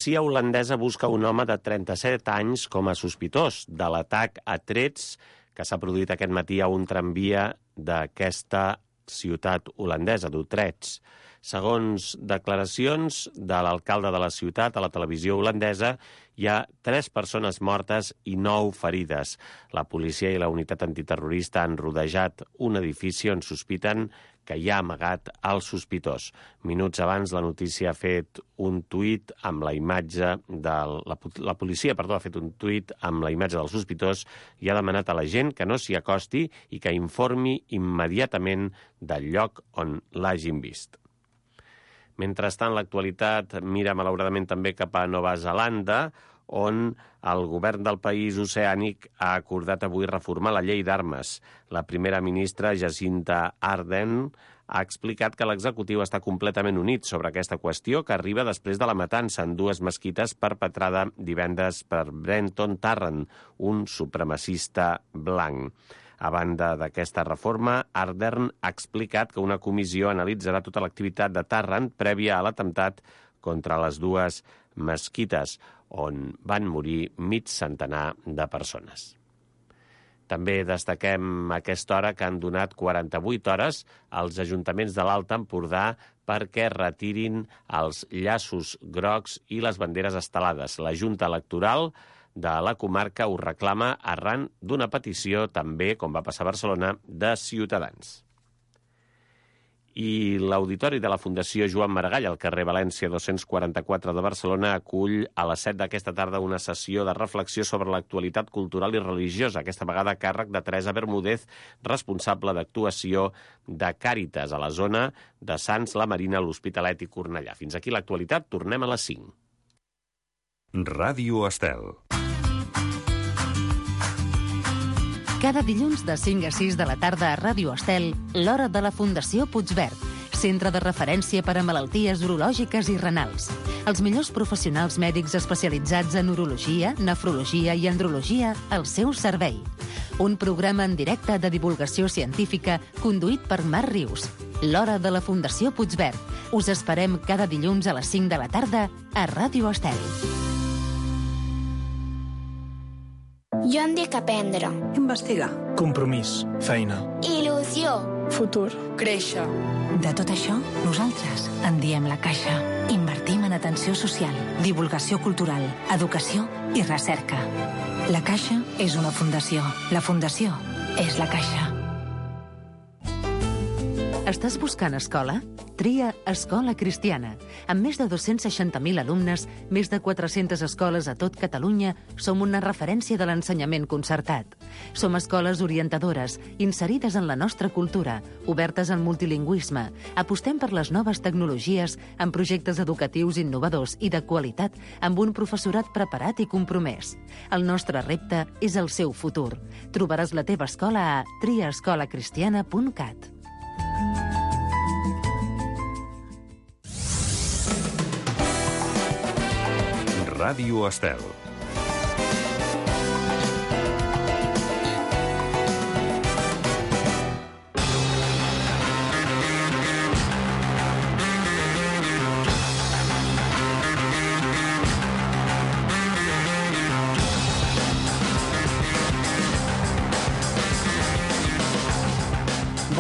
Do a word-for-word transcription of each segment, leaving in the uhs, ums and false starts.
La policia holandesa busca un home de trenta-set anys com a sospitós de l'atac a trets que s'ha produït aquest matí a un tramvia d'aquesta ciutat holandesa, d'Utrecht. Segons declaracions de l'alcalde de la ciutat a la televisió holandesa, hi ha tres persones mortes i nou ferides. La policia i la unitat antiterrorista han rodejat un edifici on sospiten que hi ha amagat el sospitós. Minuts abans, la notícia ha fet un tuit amb la imatge de... La, la policia, perdó, ha fet un tuit amb la imatge del sospitós i ha demanat a la gent que no s'hi acosti i que informi immediatament del lloc on l'hagin vist. Mentrestant, l'actualitat mira malauradament també cap a Nova Zelanda, on el govern del país oceànic ha acordat avui reformar la llei d'armes. La primera ministra, Jacinda Ardern, ha explicat que l'executiu està completament unit sobre aquesta qüestió que arriba després de la matança en dues mesquites perpetrada divendres per Brenton Tarrant, un supremacista blanc. A banda d'aquesta reforma, Ardern ha explicat que una comissió analitzarà tota l'activitat de Tarrant prèvia a l'atemptat contra les dues mesquites, on van morir mig centenar de persones. També destaquem a aquesta hora que han donat quaranta-vuit hores als ajuntaments de l'Alt Empordà perquè retirin els llaços grocs i les banderes estelades. La Junta Electoral de la comarca ho reclama arran d'una petició també, com va passar a Barcelona, de Ciutadans. I l'Auditori de la Fundació Joan Maragall, al carrer València dos-cents quaranta-quatre de Barcelona, acull a les set d'aquesta tarda una sessió de reflexió sobre l'actualitat cultural i religiosa, aquesta vegada a càrrec de Teresa Bermúdez, responsable d'actuació de Càritas a la zona de Sants, la Marina, l'Hospitalet i Cornellà. Fins aquí l'actualitat, tornem a les cinc. Ràdio Estel. Cada dilluns de cinc a sis de la tarda a Ràdio Estel, l'Hora de la Fundació Puigverd, centre de referència per a malalties urològiques i renals. Els millors professionals mèdics especialitzats en urologia, nefrologia i andrologia al seu servei. Un programa en directe de divulgació científica conduït per Marc Rius. L'Hora de la Fundació Puigverd. Us esperem cada dilluns a les cinc de la tarda a Ràdio Estel. Jo em dic aprendre. Investigar. Compromís. Feina. Il·lusió. Futur. Créixer. De tot això, nosaltres en diem la Caixa. Invertim en atenció social, divulgació cultural, educació i recerca. La Caixa és una fundació. La fundació és la Caixa. Estàs buscant escola? Tria Escola Cristiana. Amb més de dos-cents seixanta mil alumnes, més de quatre-centes escoles a tot Catalunya, som una referència de l'ensenyament concertat. Som escoles orientadores, inserides en la nostra cultura, obertes al multilingüisme. Apostem per les noves tecnologies, amb projectes educatius innovadors i de qualitat, amb un professorat preparat i compromès. El nostre repte és el seu futur. Trobaràs la teva escola a tria escola cristiana punt cat. Ràdio Estel.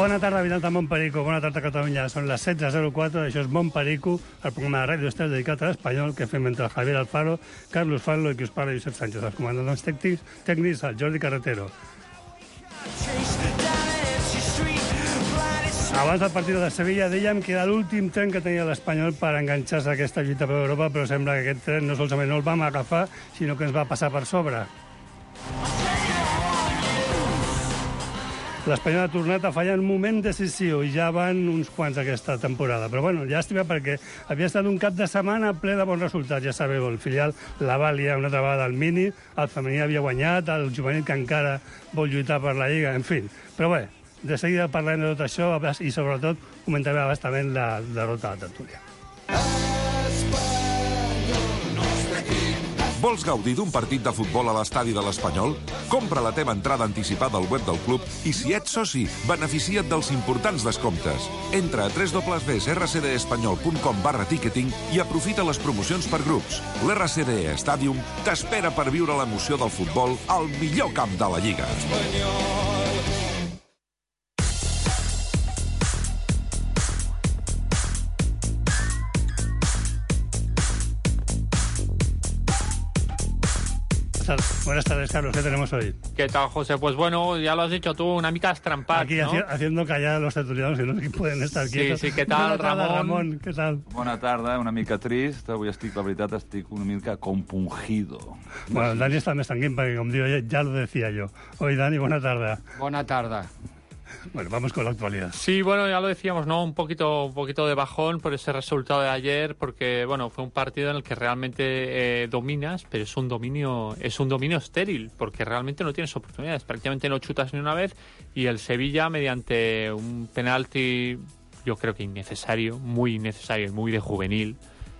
Bona tarda, habitants de Montperico. Bona tarda, Catalunya. Són les setze zero quatre, això és Montperico, el programa de Ràdio Estel dedicat a l'espanyol que fem entre Javier Alfaro, Carlos Fallo i qui us parla, Josep Sánchez. Els comandants tècnics, tècnics, el Jordi Carretero. Abans del partit de Sevilla dèiem que era l'últim tren que tenia l'Espanyol per enganxar-se a aquesta lluita per Europa, però sembla que aquest tren no solament no el vam agafar, sinó que ens va passar per sobre. L'Espanyol ha tornat a fallar en un moment decisiu i ja van uns quants aquesta temporada. Però bueno, llàstima perquè havia estat un cap de setmana ple de bons resultats. Ja sabeu, el filial la Vàlia una altra vegada al Mini, el femení havia guanyat, el juvenil que encara vol lluitar per la Lliga, en fi. Però bé, de seguida parlarem de tot això i sobretot comentarem abastament la derrota de la tertúlia. Vols gaudir d'un partit de futbol a l'estadi de l'Espanyol? Compra la teva entrada anticipada al web del club i, si ets soci, beneficia't dels importants descomptes. Entra a w w w punt r c d espanyol punt com barra ticketing i aprofita les promocions per grups. L'R C D E Stadium t'espera per viure l'emoció del futbol al millor camp de la Lliga. Buenas tardes, Carlos. ¿Qué tenemos hoy? ¿Qué tal, José? Pues bueno, ya lo has dicho tú, una mica estrampat, Aquí no? haci haciendo callar a los tertulianos que no pueden estar quietos. Sí, sí, què tal, Bona tarda, Ramon? Ramon? Què tal? Bona tarda, una mica trist. Avui estic, la veritat, estic una mica compungido. Bueno, Dani está més tranquil perquè, com digo, ya, ya lo decía yo. Hoy, Dani, buena tarde. Bona tarda. Bueno, vamos con la actualidad. Sí, bueno, ya lo decíamos, ¿no? Un poquito, un poquito de bajón por ese resultado de ayer, porque, bueno, fue un partido en el que realmente eh, dominas, pero es un dominio, es un dominio estéril, porque realmente no tienes oportunidades, prácticamente no chutas ni una vez, y el Sevilla, mediante un penalti, yo creo que innecesario, muy innecesario y muy de juvenil,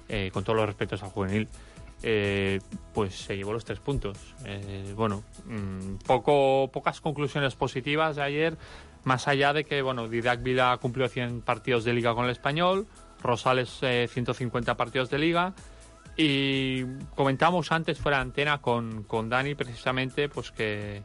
eh, con todos los respetos al juvenil, Eh, pues se llevó los tres puntos. Eh, bueno, mmm, poco, pocas conclusiones positivas de ayer, más allá de que, bueno, Didac Vila cumplió cien partidos de Liga con el Español, Rosales eh, ciento cincuenta partidos de Liga, y comentamos antes fuera de antena con, con Dani precisamente pues que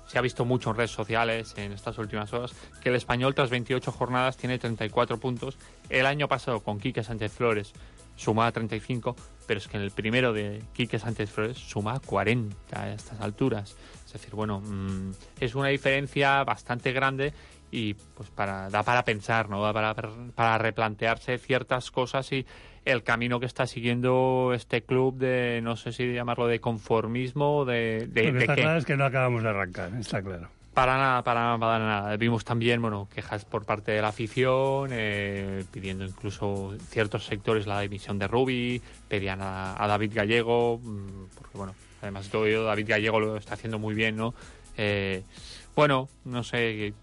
se ha visto mucho en redes sociales en estas últimas horas que el Español tras veintiocho jornadas tiene treinta y cuatro puntos. El año pasado con Quique Sánchez Flores sumaba treinta y cinco, pero es que en el primero de Quique Sánchez Flores suma cuarenta a estas alturas. Es decir, bueno, mmm, es una diferencia bastante grande y pues para da para pensar, ¿no? Da para, para replantearse ciertas cosas y el camino que está siguiendo este club de, no sé si llamarlo de conformismo, de, de, Lo que de está qué. claro es que no acabamos de arrancar, está claro. Para nada, para nada, para nada. Vimos también, bueno, quejas por parte de la afición, eh, pidiendo incluso ciertos sectores la dimisión de Rubi, pedían a, a David Gallego, porque bueno, además todo ello, David Gallego lo está haciendo muy bien, ¿no? Eh, bueno, no sé,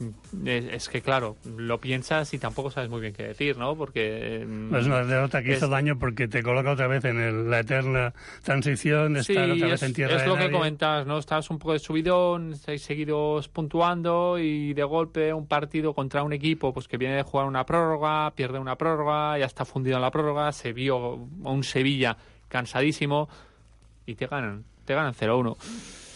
es, es que claro, lo piensas y tampoco sabes muy bien qué decir, ¿no? Porque... Eh, es una derrota que es, hizo daño porque te coloca otra vez en el, la eterna transición, sí, estar otra es, vez en tierra es de lo nadie. que comentas, ¿no? Estás un poco de subidón, estáis seguidos puntuando y de golpe un partido contra un equipo pues que viene de jugar una prórroga, pierde una prórroga, ya está fundido en la prórroga, se vio a un Sevilla cansadísimo y te ganan, te ganan cero uno.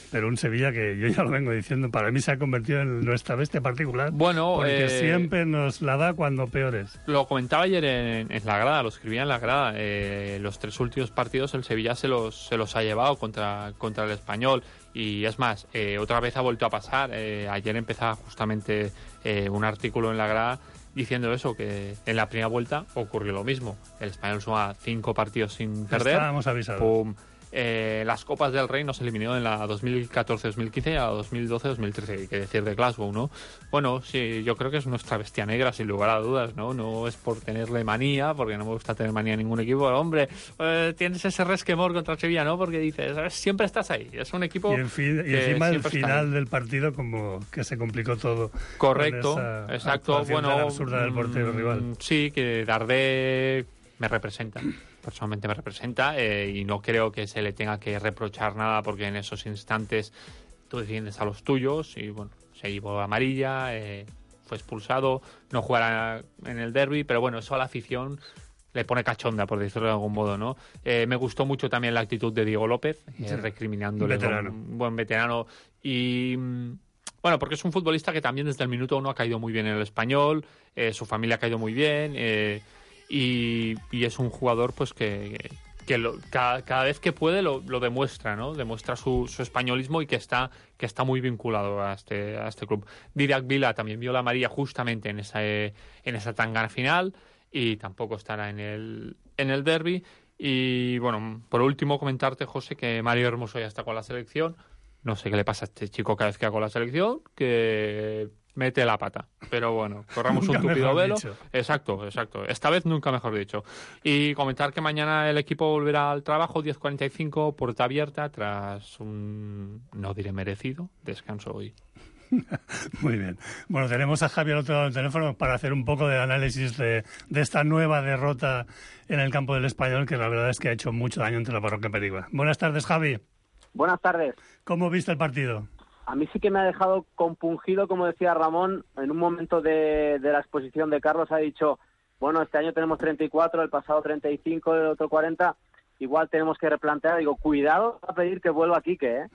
Pero un Sevilla que yo ya lo vengo diciendo, para mí se ha convertido en nuestra bestia particular. Bueno, porque eh, siempre nos la da cuando peores. Lo comentaba ayer en, en la grada, lo escribía en la grada. Eh, los tres últimos partidos el Sevilla se los, se los ha llevado contra, contra el Español. Y es más, eh, otra vez ha vuelto a pasar. Eh, ayer empezaba justamente eh, un artículo en la grada diciendo eso, que en la primera vuelta ocurrió lo mismo. El Español suma cinco partidos sin perder. Estábamos avisados. Pum. Eh, las Copas del Rey nos eliminó en la dos mil catorce dos mil quince y a la dos mil doce dos mil trece, hay que decir de Glasgow, ¿no? Bueno, sí, yo creo que es nuestra bestia negra, sin lugar a dudas, ¿no? No es por tenerle manía, porque no me gusta tener manía a ningún equipo, pero, hombre, eh, tienes ese resquemor contra el Sevilla, ¿no? Porque dices, ¿sabes? Siempre estás ahí, es un equipo... Y, en fin, y encima el final del partido como que se complicó todo. Correcto, exacto, bueno... absurda del portero mmm, rival. Sí, que Dardé me representa. Personalmente me representa eh, y no creo que se le tenga que reprochar nada porque en esos instantes tú defiendes a los tuyos y bueno, se llevó amarilla, eh, fue expulsado, no jugará en el derbi, pero bueno, eso a la afición le pone cachonda, por decirlo de algún modo, ¿no? Eh, me gustó mucho también la actitud de Diego López, eh, sí, recriminándole un veterano. Un buen veterano y... Bueno, porque es un futbolista que también desde el minuto uno ha caído muy bien en el Español, eh, su familia ha caído muy bien... Eh, Y, y es un jugador pues que, que lo, cada, cada vez que puede lo, lo demuestra, ¿no? Demuestra su, su españolismo y que está, que está muy vinculado a este, a este club. Didac Vila también vio la amarilla justamente en esa, en esa tangana final y tampoco estará en el, en el derbi. Y bueno, por último comentarte, José, que Mario Hermoso ya está con la selección. No sé qué le pasa a este chico cada vez que va con la selección, que... mete la pata, pero bueno, corramos un tupido velo. Dicho. Exacto, exacto. Esta vez nunca mejor dicho. Y comentar que mañana el equipo volverá al trabajo, diez cuarenta y cinco, puerta abierta, tras un, no diré merecido, descanso hoy. Muy bien. Bueno, tenemos a Javi al otro lado del teléfono para hacer un poco de análisis de, de esta nueva derrota en el campo del Español, que la verdad es que ha hecho mucho daño entre la Parroquia Perigua. Buenas tardes, Javi. Buenas tardes. ¿Cómo viste el partido? A mí sí que me ha dejado compungido, como decía Ramón, en un momento de, de la exposición de Carlos ha dicho, bueno, este año tenemos treinta y cuatro, el pasado treinta y cinco, el otro cuarenta, igual tenemos que replantear. Digo, cuidado a pedir que vuelva Quique, ¿eh?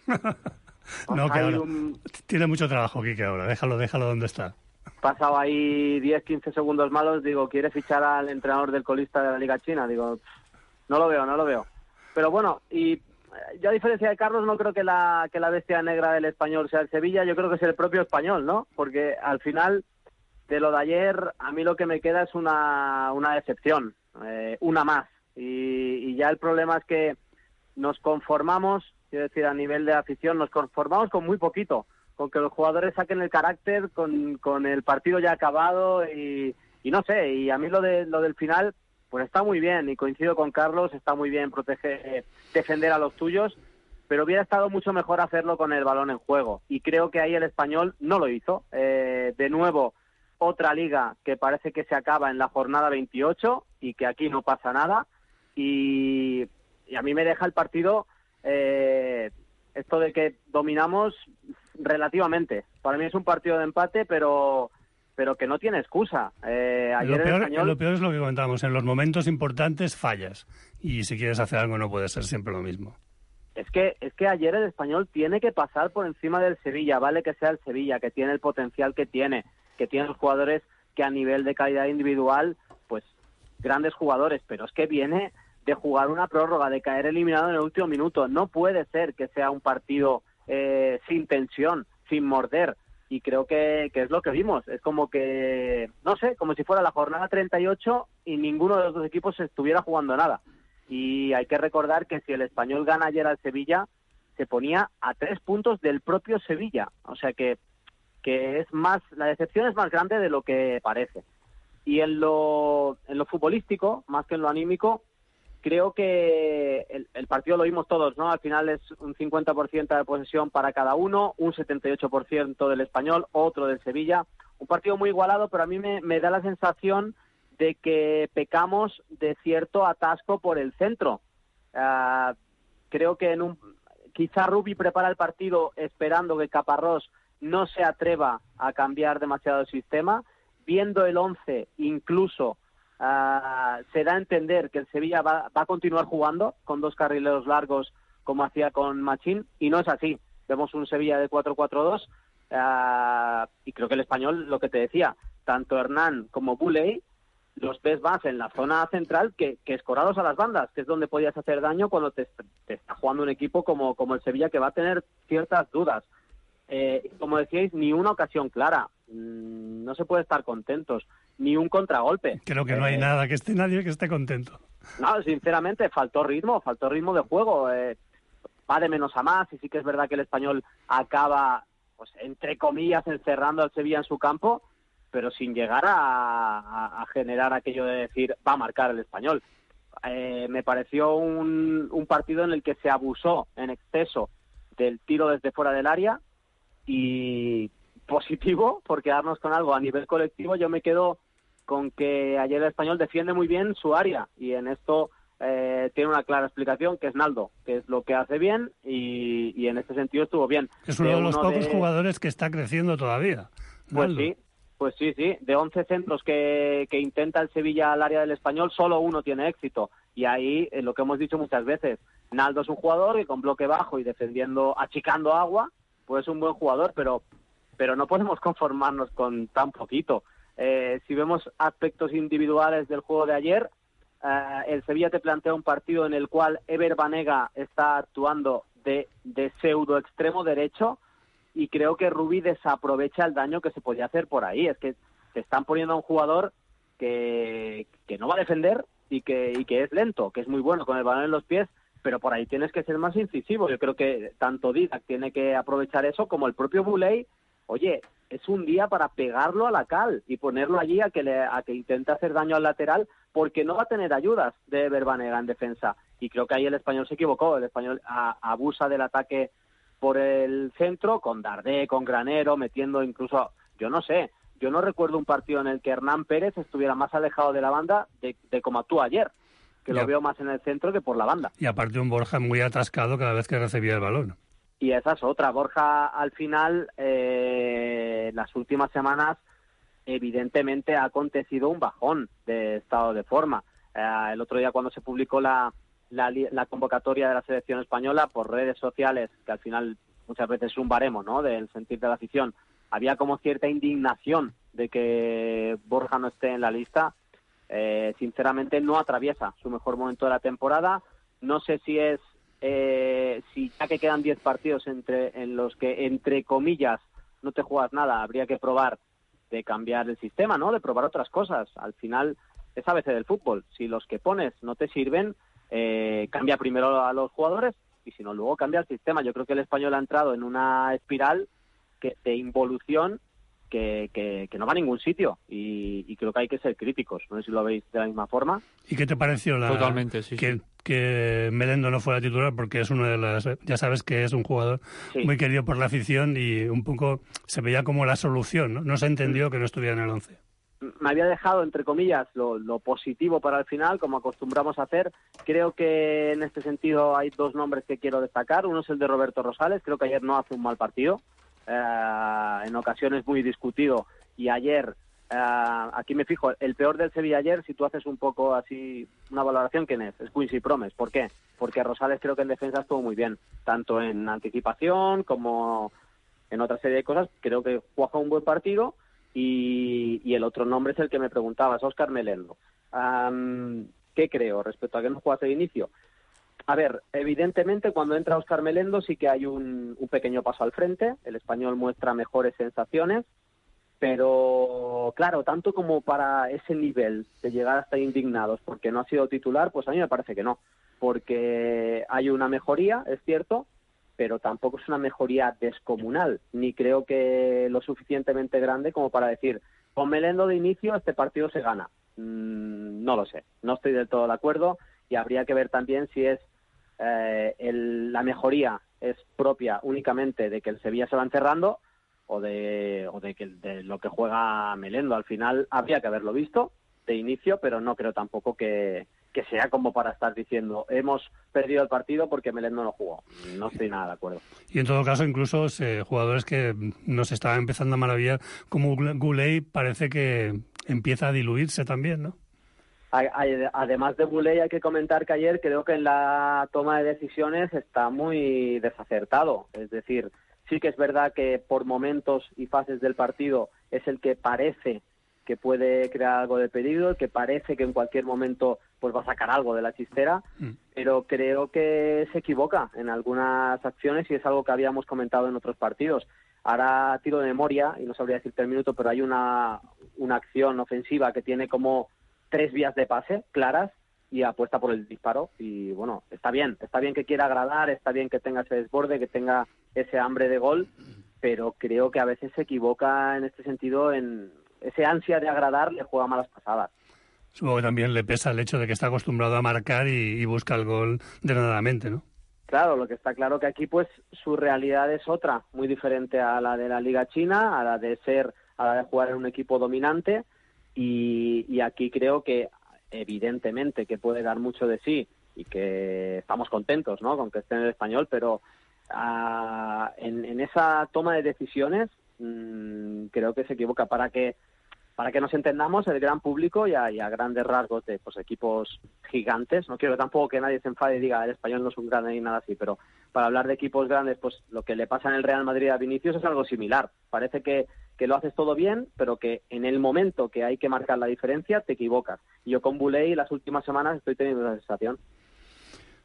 No, que ahora un... tiene mucho trabajo Quique ahora, déjalo, déjalo donde está. Pasado ahí diez, quince segundos malos, digo, ¿quiere fichar al entrenador del colista de la Liga China? Digo, no lo veo, no lo veo. Pero bueno, y yo a diferencia de Carlos no creo que la, que la bestia negra del Español sea el Sevilla, yo creo que es el propio Español, ¿no? Porque al final, de lo de ayer, a mí lo que me queda es una, una decepción, eh, una más. Y, y ya el problema es que nos conformamos, quiero decir, a nivel de afición, nos conformamos con muy poquito, con que los jugadores saquen el carácter, con, con el partido ya acabado y, y no sé, y a mí lo de lo del final, pues está muy bien, y coincido con Carlos, está muy bien proteger, defender a los tuyos, pero hubiera estado mucho mejor hacerlo con el balón en juego, y creo que ahí el Español no lo hizo. Eh, de nuevo, otra liga que parece que se acaba en la jornada veintiocho y que aquí no pasa nada, y, y a mí me deja el partido eh, esto de que dominamos relativamente. Para mí es un partido de empate, pero pero que no tiene excusa. Eh, ayer lo, peor, el español... lo peor es lo que comentábamos, en los momentos importantes fallas, y si quieres hacer algo no puede ser siempre lo mismo. Es que, es que ayer el Español tiene que pasar por encima del Sevilla, vale que sea el Sevilla, que tiene el potencial que tiene, que tiene los jugadores que a nivel de calidad individual, pues grandes jugadores, pero es que viene de jugar una prórroga, de caer eliminado en el último minuto. No puede ser que sea un partido eh, sin tensión, sin morder, y creo que, que es lo que vimos. Es como que, no sé, como si fuera la jornada treinta y ocho y ninguno de los dos equipos estuviera jugando nada. Y hay que recordar que si el Español gana ayer al Sevilla, se ponía a tres puntos del propio Sevilla. O sea que, que es más, la decepción es más grande de lo que parece. Y en lo, en lo futbolístico, más que en lo anímico, creo que el, el partido lo vimos todos, ¿no? Al final es un cincuenta por ciento de posesión para cada uno, un setenta y ocho por ciento del Español, otro del Sevilla. Un partido muy igualado, pero a mí me, me da la sensación de que pecamos de cierto atasco por el centro. Uh, creo que en un quizá Rubi prepara el partido esperando que Caparrós no se atreva a cambiar demasiado el sistema. Viendo el once, incluso uh, se da a entender que el Sevilla va, va a continuar jugando con dos carrileros largos como hacía con Machín, y no es así. Vemos un Sevilla de cuatro cuatro dos uh, y creo que el Español, lo que te decía, tanto Hernán como Bouley los ves más en la zona central que, que escorados a las bandas, que es donde podías hacer daño cuando te, te está jugando un equipo como, como el Sevilla, que va a tener ciertas dudas. Eh, como decíais, ni una ocasión clara. Mm, no se puede estar contentos. Ni un contragolpe. Creo que no hay eh, nada, que esté nadie que esté contento. No, sinceramente, faltó ritmo, faltó ritmo de juego. Eh, va de menos a más, y sí que es verdad que el Español acaba, pues entre comillas, encerrando al Sevilla en su campo, pero sin llegar a, a, a generar aquello de decir, va a marcar el Español. Eh, me pareció un, un partido en el que se abusó en exceso del tiro desde fuera del área, y positivo, por quedarnos con algo a nivel colectivo, yo me quedo con que ayer el Español defiende muy bien su área, y en esto eh, tiene una clara explicación, que es Naldo, que es lo que hace bien, y, y en este sentido estuvo bien. Es uno de, de los uno pocos de... jugadores que está creciendo todavía. Pues Naldo. sí. Pues sí, sí, de once centros que, que intenta el Sevilla al área del Español, solo uno tiene éxito. Y ahí, eh, lo que hemos dicho muchas veces, Naldo es un jugador que con bloque bajo y defendiendo, achicando agua, pues es un buen jugador, pero, pero no podemos conformarnos con tan poquito. Eh, si vemos aspectos individuales del juego de ayer, eh, el Sevilla te plantea un partido en el cual Ever Banega está actuando de, de pseudo extremo derecho, y creo que Rubi desaprovecha el daño que se podía hacer por ahí. Es que te están poniendo a un jugador que, que no va a defender y que, y que es lento, que es muy bueno con el balón en los pies, pero por ahí tienes que ser más incisivo. Yo creo que tanto Didac tiene que aprovechar eso, como el propio Bouley. Oye, es un día para pegarlo a la cal y ponerlo allí a que, le, a que intente hacer daño al lateral, porque no va a tener ayudas de Ever Banega en defensa. Y creo que ahí el Español se equivocó. El Español a, abusa del ataque por el centro, con Dardé, con Granero, metiendo incluso, yo no sé, yo no recuerdo un partido en el que Hernán Pérez estuviera más alejado de la banda de, de como actuó ayer, que ya. Lo veo más en el centro que por la banda. Y aparte un Borja muy atascado cada vez que recibía el balón. Y esa es otra. Borja, al final, eh, las últimas semanas, evidentemente ha acontecido un bajón de estado de forma. Eh, el otro día cuando se publicó la, la, la convocatoria de la selección española por redes sociales, que al final muchas veces es un baremo, ¿no?, del sentir de la afición, había como cierta indignación de que Borja no esté en la lista. Eh, sinceramente no atraviesa su mejor momento de la temporada. No sé si es, eh, si ya que quedan diez partidos entre en los que, entre comillas, no te juegas nada, habría que probar de cambiar el sistema, ¿no?, de probar otras cosas. Al final es a veces del fútbol. Si los que pones no te sirven, eh, cambia primero a los jugadores y si no, luego cambia el sistema. Yo creo que el Español ha entrado en una espiral que, de involución que, que, que no va a ningún sitio y, y creo que hay que ser críticos. No sé si lo veis de la misma forma. ¿Y qué te pareció la, Totalmente, sí, que, sí. que Melendo no fuera titular? Porque es uno de las, ya sabes que es un jugador sí. muy querido por la afición y un poco se veía como la solución, ¿no? No se entendió que no estuviera en el once. Me había dejado, entre comillas, lo, lo positivo para el final, como acostumbramos a hacer. Creo que en este sentido hay dos nombres que quiero destacar. Uno es el de Roberto Rosales. Creo que ayer no hace un mal partido. Eh, en ocasiones muy discutido. Y ayer, eh, aquí me fijo, el peor del Sevilla ayer, si tú haces un poco así una valoración, ¿quién es? Es Quincy Promes. ¿Por qué? Porque Rosales creo que en defensa estuvo muy bien. Tanto en anticipación como en otra serie de cosas. Creo que jugó un buen partido. Y, y el otro nombre es el que me preguntabas, Óscar Melendo. Um, ¿Qué creo respecto a que no jugase de inicio? A ver, evidentemente cuando entra Óscar Melendo sí que hay un, un pequeño paso al frente, el Español muestra mejores sensaciones, pero claro, tanto como para ese nivel de llegar hasta indignados porque no ha sido titular, pues a mí me parece que no, porque hay una mejoría, es cierto, pero tampoco es una mejoría descomunal, ni creo que lo suficientemente grande como para decir, con Melendo de inicio este partido se gana. Mm, no lo sé, no estoy del todo de acuerdo y habría que ver también si es eh, el, la mejoría es propia únicamente de que el Sevilla se va encerrando o de, o de, que, de lo que juega Melendo. Al final habría que haberlo visto de inicio, pero no creo tampoco que... que sea como para estar diciendo hemos perdido el partido porque Melendo no jugó. No estoy nada de acuerdo. Y en todo caso, incluso eh, jugadores que nos estaban empezando a maravillar, como Goulet, parece que empieza a diluirse también, ¿no? Además de Goulet, hay que comentar que ayer creo que en la toma de decisiones está muy desacertado. Es decir, sí que es verdad que por momentos y fases del partido es el que parece que puede crear algo de peligro, el que parece que en cualquier momento pues va a sacar algo de la chistera, mm. pero creo que se equivoca en algunas acciones y es algo que habíamos comentado en otros partidos. Ahora tiro de memoria, y no sabría decirte el minuto, pero hay una, una acción ofensiva que tiene como tres vías de pase claras y apuesta por el disparo y bueno, está bien, está bien que quiera agradar, está bien que tenga ese desborde, que tenga ese hambre de gol, pero creo que a veces se equivoca en este sentido, en ese ansia de agradar le juega malas pasadas. Supongo que también le pesa el hecho de que está acostumbrado a marcar y, y busca el gol denodadamente, ¿no? Claro, lo que está claro que aquí pues su realidad es otra, muy diferente a la de la Liga China, a la de ser, a la de jugar en un equipo dominante y, y aquí creo que evidentemente que puede dar mucho de sí y que estamos contentos, ¿no?, con que esté en el Español, pero uh, en, en esa toma de decisiones mmm, creo que se equivoca. Para que Para que nos entendamos, el gran público y a, y a grandes rasgos de pues, equipos gigantes, no quiero tampoco que nadie se enfade y diga el Español no es un grande ni nada así, pero para hablar de equipos grandes, pues lo que le pasa en el Real Madrid a Vinicius es algo similar. Parece que, que lo haces todo bien, pero que en el momento que hay que marcar la diferencia te equivocas. Y yo con Boulay las últimas semanas estoy teniendo esa sensación.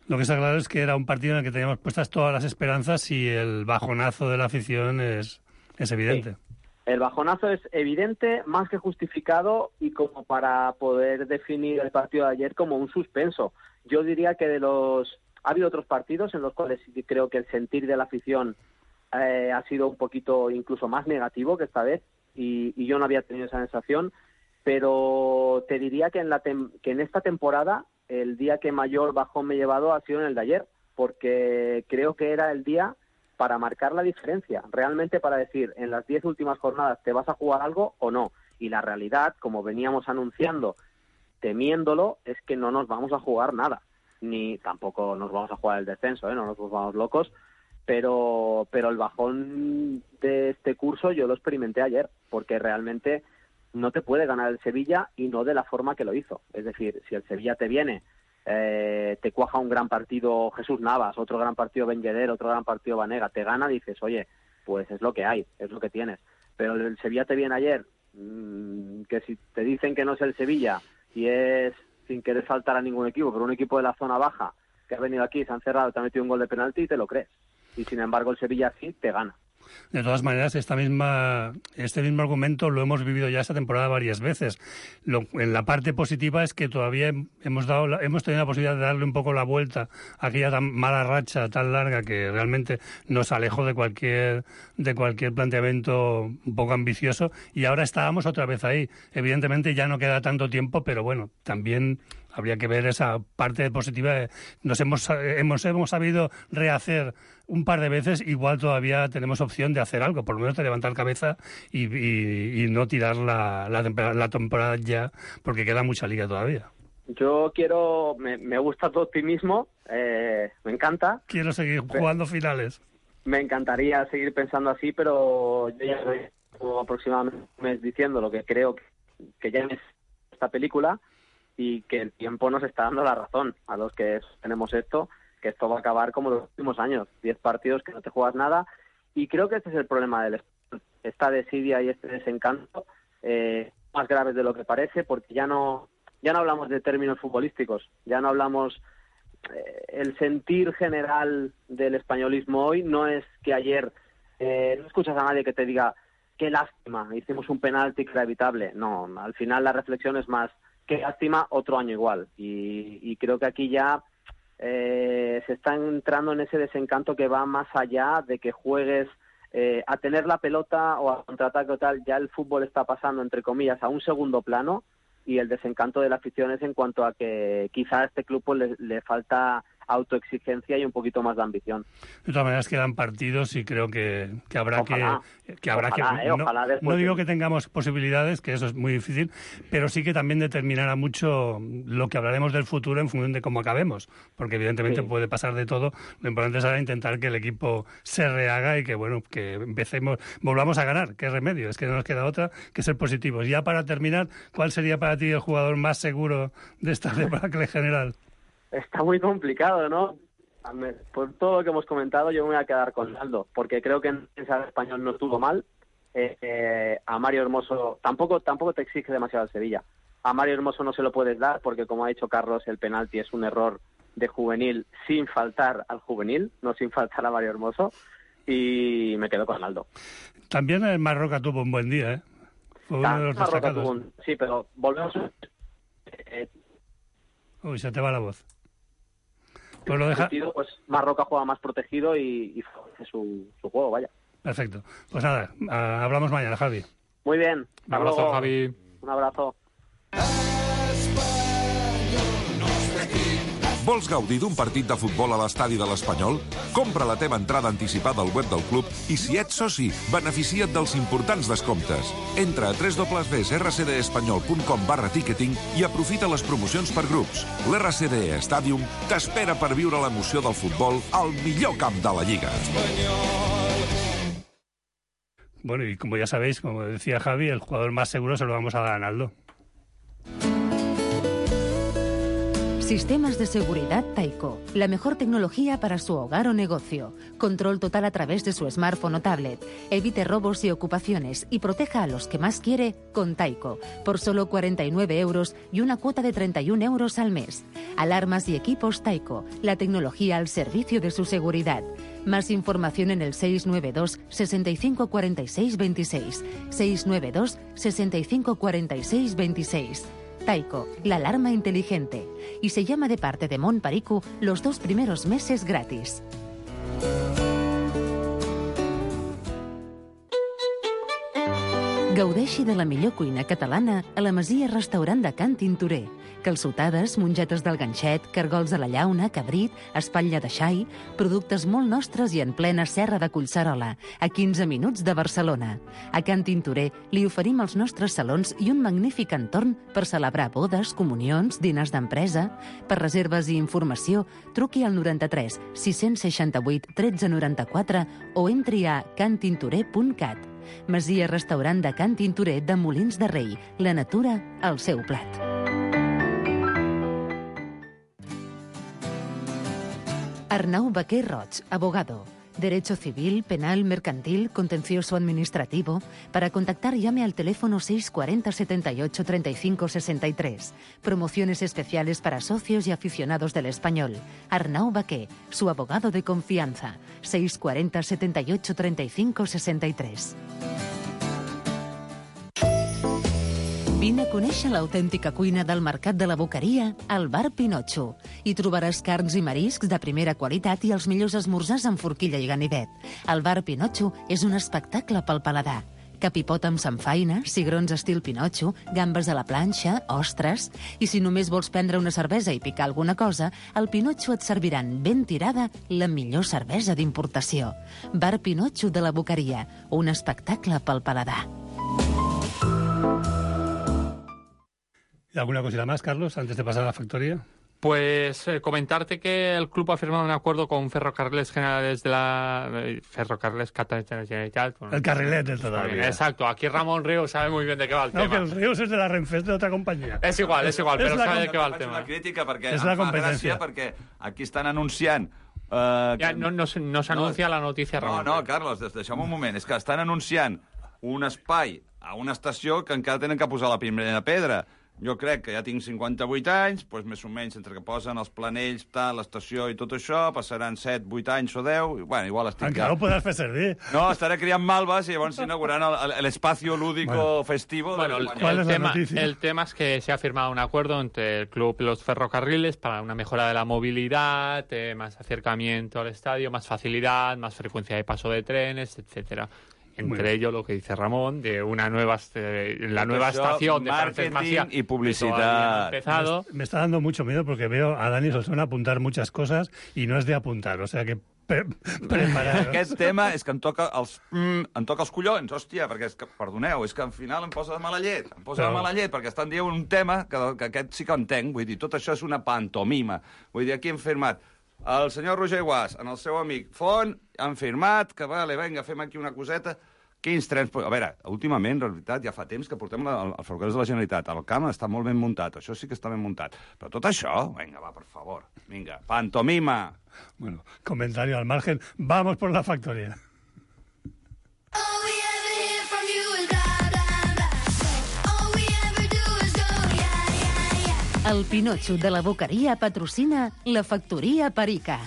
Lo que está claro es que era un partido en el que teníamos puestas todas las esperanzas y el bajonazo de la afición es, es evidente. Sí. El bajonazo es evidente, más que justificado y como para poder definir el partido de ayer como un suspenso. Yo diría que de los ha habido otros partidos en los cuales creo que el sentir de la afición eh, ha sido un poquito incluso más negativo que esta vez y, y yo no había tenido esa sensación, pero te diría que en, la tem- que en esta temporada el día que mayor bajón me he llevado ha sido en el de ayer, porque creo que era el día para marcar la diferencia, realmente para decir, en las diez últimas jornadas, ¿te vas a jugar algo o no? Y la realidad, como veníamos anunciando, temiéndolo, es que no nos vamos a jugar nada, ni tampoco nos vamos a jugar el descenso, ¿eh? No nos volvamos locos, pero, pero el bajón de este curso yo lo experimenté ayer, porque realmente no te puede ganar el Sevilla y no de la forma que lo hizo. Es decir, si el Sevilla te viene, eh, te cuaja un gran partido Jesús Navas, otro gran partido Ben Yedder, otro gran partido Banega, te gana, dices, oye, pues es lo que hay, es lo que tienes. Pero el Sevilla te viene ayer, mmm, que si te dicen que no es el Sevilla y es sin querer faltar a ningún equipo, pero un equipo de la zona baja que ha venido aquí, se ha encerrado, te ha metido un gol de penalti y te lo crees. Y sin embargo el Sevilla sí te gana. De todas maneras, esta misma, este mismo argumento lo hemos vivido ya esta temporada varias veces. Lo, en la parte positiva es que todavía hemos dado, la, hemos tenido la posibilidad de darle un poco la vuelta a aquella tan mala racha tan larga que realmente nos alejó de cualquier, de cualquier planteamiento un poco ambicioso, y ahora estábamos otra vez ahí. Evidentemente ya no queda tanto tiempo, pero bueno, también habría que ver esa parte positiva. Nos hemos, hemos, hemos sabido rehacer un par de veces, igual todavía tenemos opción de hacer algo, por lo menos de levantar cabeza y, y, y no tirar la, la, la temporada ya, porque queda mucha liga todavía. Yo quiero, me, me gusta tu optimismo, eh, me encanta. Quiero seguir jugando finales. Me encantaría seguir pensando así, pero yo ya llevo aproximadamente un mes diciendo lo que creo que, que ya es esta película, y que el tiempo nos está dando la razón a los que tenemos esto, que esto va a acabar como los últimos años, diez partidos que no te juegas nada, y creo que este es el problema del esta desidia y este desencanto, eh, más graves de lo que parece, porque ya no ya no hablamos de términos futbolísticos, ya no hablamos, eh, el sentir general del españolismo hoy no es que ayer eh, no escuchas a nadie que te diga qué lástima, hicimos un penalti que era evitable. No, al final la reflexión es más, qué lástima, otro año igual. Y, y creo que aquí ya eh, se está entrando en ese desencanto que va más allá de que juegues eh, a tener la pelota o a contraataque o tal. Ya el fútbol está pasando, entre comillas, a un segundo plano, y el desencanto de la afición es en cuanto a que quizá a este club pues, le, le falta autoexigencia y un poquito más de ambición. De todas maneras quedan partidos y creo que, que habrá ojalá, que, que habrá ojalá, que eh, no, ojalá no digo de... que tengamos posibilidades, que eso es muy difícil, pero sí que también determinará mucho lo que hablaremos del futuro en función de cómo acabemos, porque evidentemente sí, puede pasar de todo. Lo importante será intentar que el equipo se rehaga y que bueno, que empecemos, volvamos a ganar. ¿Qué remedio? Es que no nos queda otra que ser positivos. Ya para terminar, ¿cuál sería para ti el jugador más seguro de esta debacle general? Está muy complicado, ¿no? Por todo lo que hemos comentado, yo me voy a quedar con Aldo, porque creo que en el español no estuvo mal. Eh, eh, a Mario Hermoso tampoco tampoco te exige demasiado el Sevilla. A Mario Hermoso no se lo puedes dar, porque como ha dicho Carlos, el penalti es un error de juvenil sin faltar al juvenil, no sin faltar a Mario Hermoso, y me quedo con Aldo. También el Marroca tuvo un buen día, ¿eh? Fue uno de los destacados. Un... Sí, pero volvemos... Eh... Uy, se te va la voz. Pues lo deja... sentido, pues Marroca juega más protegido y, y favorece su, su juego, vaya. Perfecto. Pues nada, uh, hablamos mañana, Javi. Muy bien. Un abrazo, luego. Javi. Un abrazo. Vols gaudir d'un partit de futbol a l'estadi de l'Espanyol? Compra la teva entrada anticipada al web del club i, si ets soci, beneficia't dels importants descomptes. Entra a w w w punt r c d espanyol punt com barra ticketing i aprofita les promocions per grups. L'R C D Stadium t'espera per viure l'emoció del futbol al millor camp de la Lliga. Bueno, y como ya sabéis, como decía Javi, el jugador más seguro se lo vamos a dar a Analdo. Sistemas de seguridad Taiko. La mejor tecnología para su hogar o negocio. Control total a través de su smartphone o tablet. Evite robos y ocupaciones y proteja a los que más quiere con Taiko. Por solo cuarenta y nueve euros y una cuota de treinta y un euros al mes. Alarmas y equipos Taiko. La tecnología al servicio de su seguridad. Más información en el seis nueve dos, sesenta y cinco cuarenta y seis veintiséis. seis nueve dos, sesenta y cinco cuarenta y seis veintiséis. Taiko, la alarma inteligente. Y se llama de parte de Mon Pariku los dos primeros meses gratis. Gaudeixi de la millor cuina catalana a la Masia Restaurant de Can Tintorer. Calçotades, mongetes del ganxet, cargols de la llauna, cabrit, espatlla de xai, productes molt nostres i en plena serra de Collserola, a quinze minuts de Barcelona. A Can Tintorer li oferim els nostres salons i un magnífic entorn per celebrar bodes, comunions, dinars d'empresa. Per reserves i informació, truqui al noranta-tres sis seixanta-vuit tretze noranta-quatre o entri a cantintorer punt cat. Masia Restaurant de Can Tintorer de Molins de Rei. La natura al seu plat. Arnau Baquer Roig, abogado. Derecho civil, penal, mercantil, contencioso administrativo. Para contactar, llame al teléfono seis cuarenta setenta y ocho treinta y cinco sesenta y tres. Promociones especiales para socios y aficionados del español. Arnau Baquer, su abogado de confianza. seis cuarenta setenta y ocho treinta y cinco sesenta y tres. Vine a conèixer l'autèntica cuina del Mercat de la Boqueria al Bar Pinotxo. Hi trobaràs carns i mariscs de primera qualitat i els millors esmorzars amb forquilla i ganivet. El Bar Pinotxo és un espectacle pel paladar. Capipot amb samfaina, cigrons estil Pinotxo, gambes a la planxa, ostres... I si només vols prendre una cervesa i picar alguna cosa, al Pinotxo et serviran ben tirada la millor cervesa d'importació. Bar Pinotxo de la Boqueria, un espectacle pel paladar. ¿Y alguna cosita más, Carlos, antes de pasar a la factoría? Pues eh, comentarte que el club ha firmado un acuerdo con Ferrocarriles Generales de la... Eh, Ferrocarriles Catalans Generalitat. Bueno, el carrilete todavía. Exacto, aquí Ramón Ríos sabe muy bien de qué va el no, tema. No, que el Ríos es de la Renfe, es de otra compañía. És igual, és igual, és però sabe de què va el Faig tema. una crítica perquè és em la fa competència. gràcia perquè aquí estan anunciant... Uh, ja, no, no, no s'anuncia no, la notícia, Ramon. No, no, Carlos, deixa'm un moment. És que estan anunciant un espai a una estació que encara tenen que posar la primera pedra. Jo crec que ja tinc cinquanta-vuit anys, doncs més o menys entre que posen els planells, tal, l'estació i tot això, passaran set, vuit anys o deu, i bueno, igual estic... Encara ho podràs fer servir. No, estaré criant malves i llavors s'inauguraran l'espacio lúdico bueno. festivo bueno, de el, el, tema, el tema es que se ha firmado un acuerdo entre el club y los ferrocarriles para una mejora de la movilidad, eh, más acercamiento al estadio, más facilidad, más frecuencia de paso de trenes, etcétera. Entre ellos lo que dice Ramón, de una nueva eh, la nueva eso, estación de Francesc Macià y publicidad. Empezado. Me, me está dando mucho miedo porque veo a Dani Solsona apuntar muchas cosas y no es de apuntar, o sea que pre prepararos. Aquest tema és que em toca els, mm, em toca els collons, hòstia, perquè, és que, perdoneu, és que al final em posa de mala llet, em posa Però... de mala llet, perquè estan dient un tema que, que aquest sí que entenc, vull dir, tot això és una pantomima. Vull dir, aquí hem firmat el senyor Roger Guas, en el seu amic Font, han firmat que, vale, vinga, fem aquí una coseta. Quins trens... A veure, últimament, en realitat, ja fa temps que portem la, els ferrocarrils de la Generalitat. El camp està molt ben muntat, això sí que està ben muntat. Però tot això, vinga, va, per favor, vinga, pantomima. Bueno, comentario al margen. Vamos por la factoría. El Pinotxo de la Boqueria patrocina la Factoría Perica.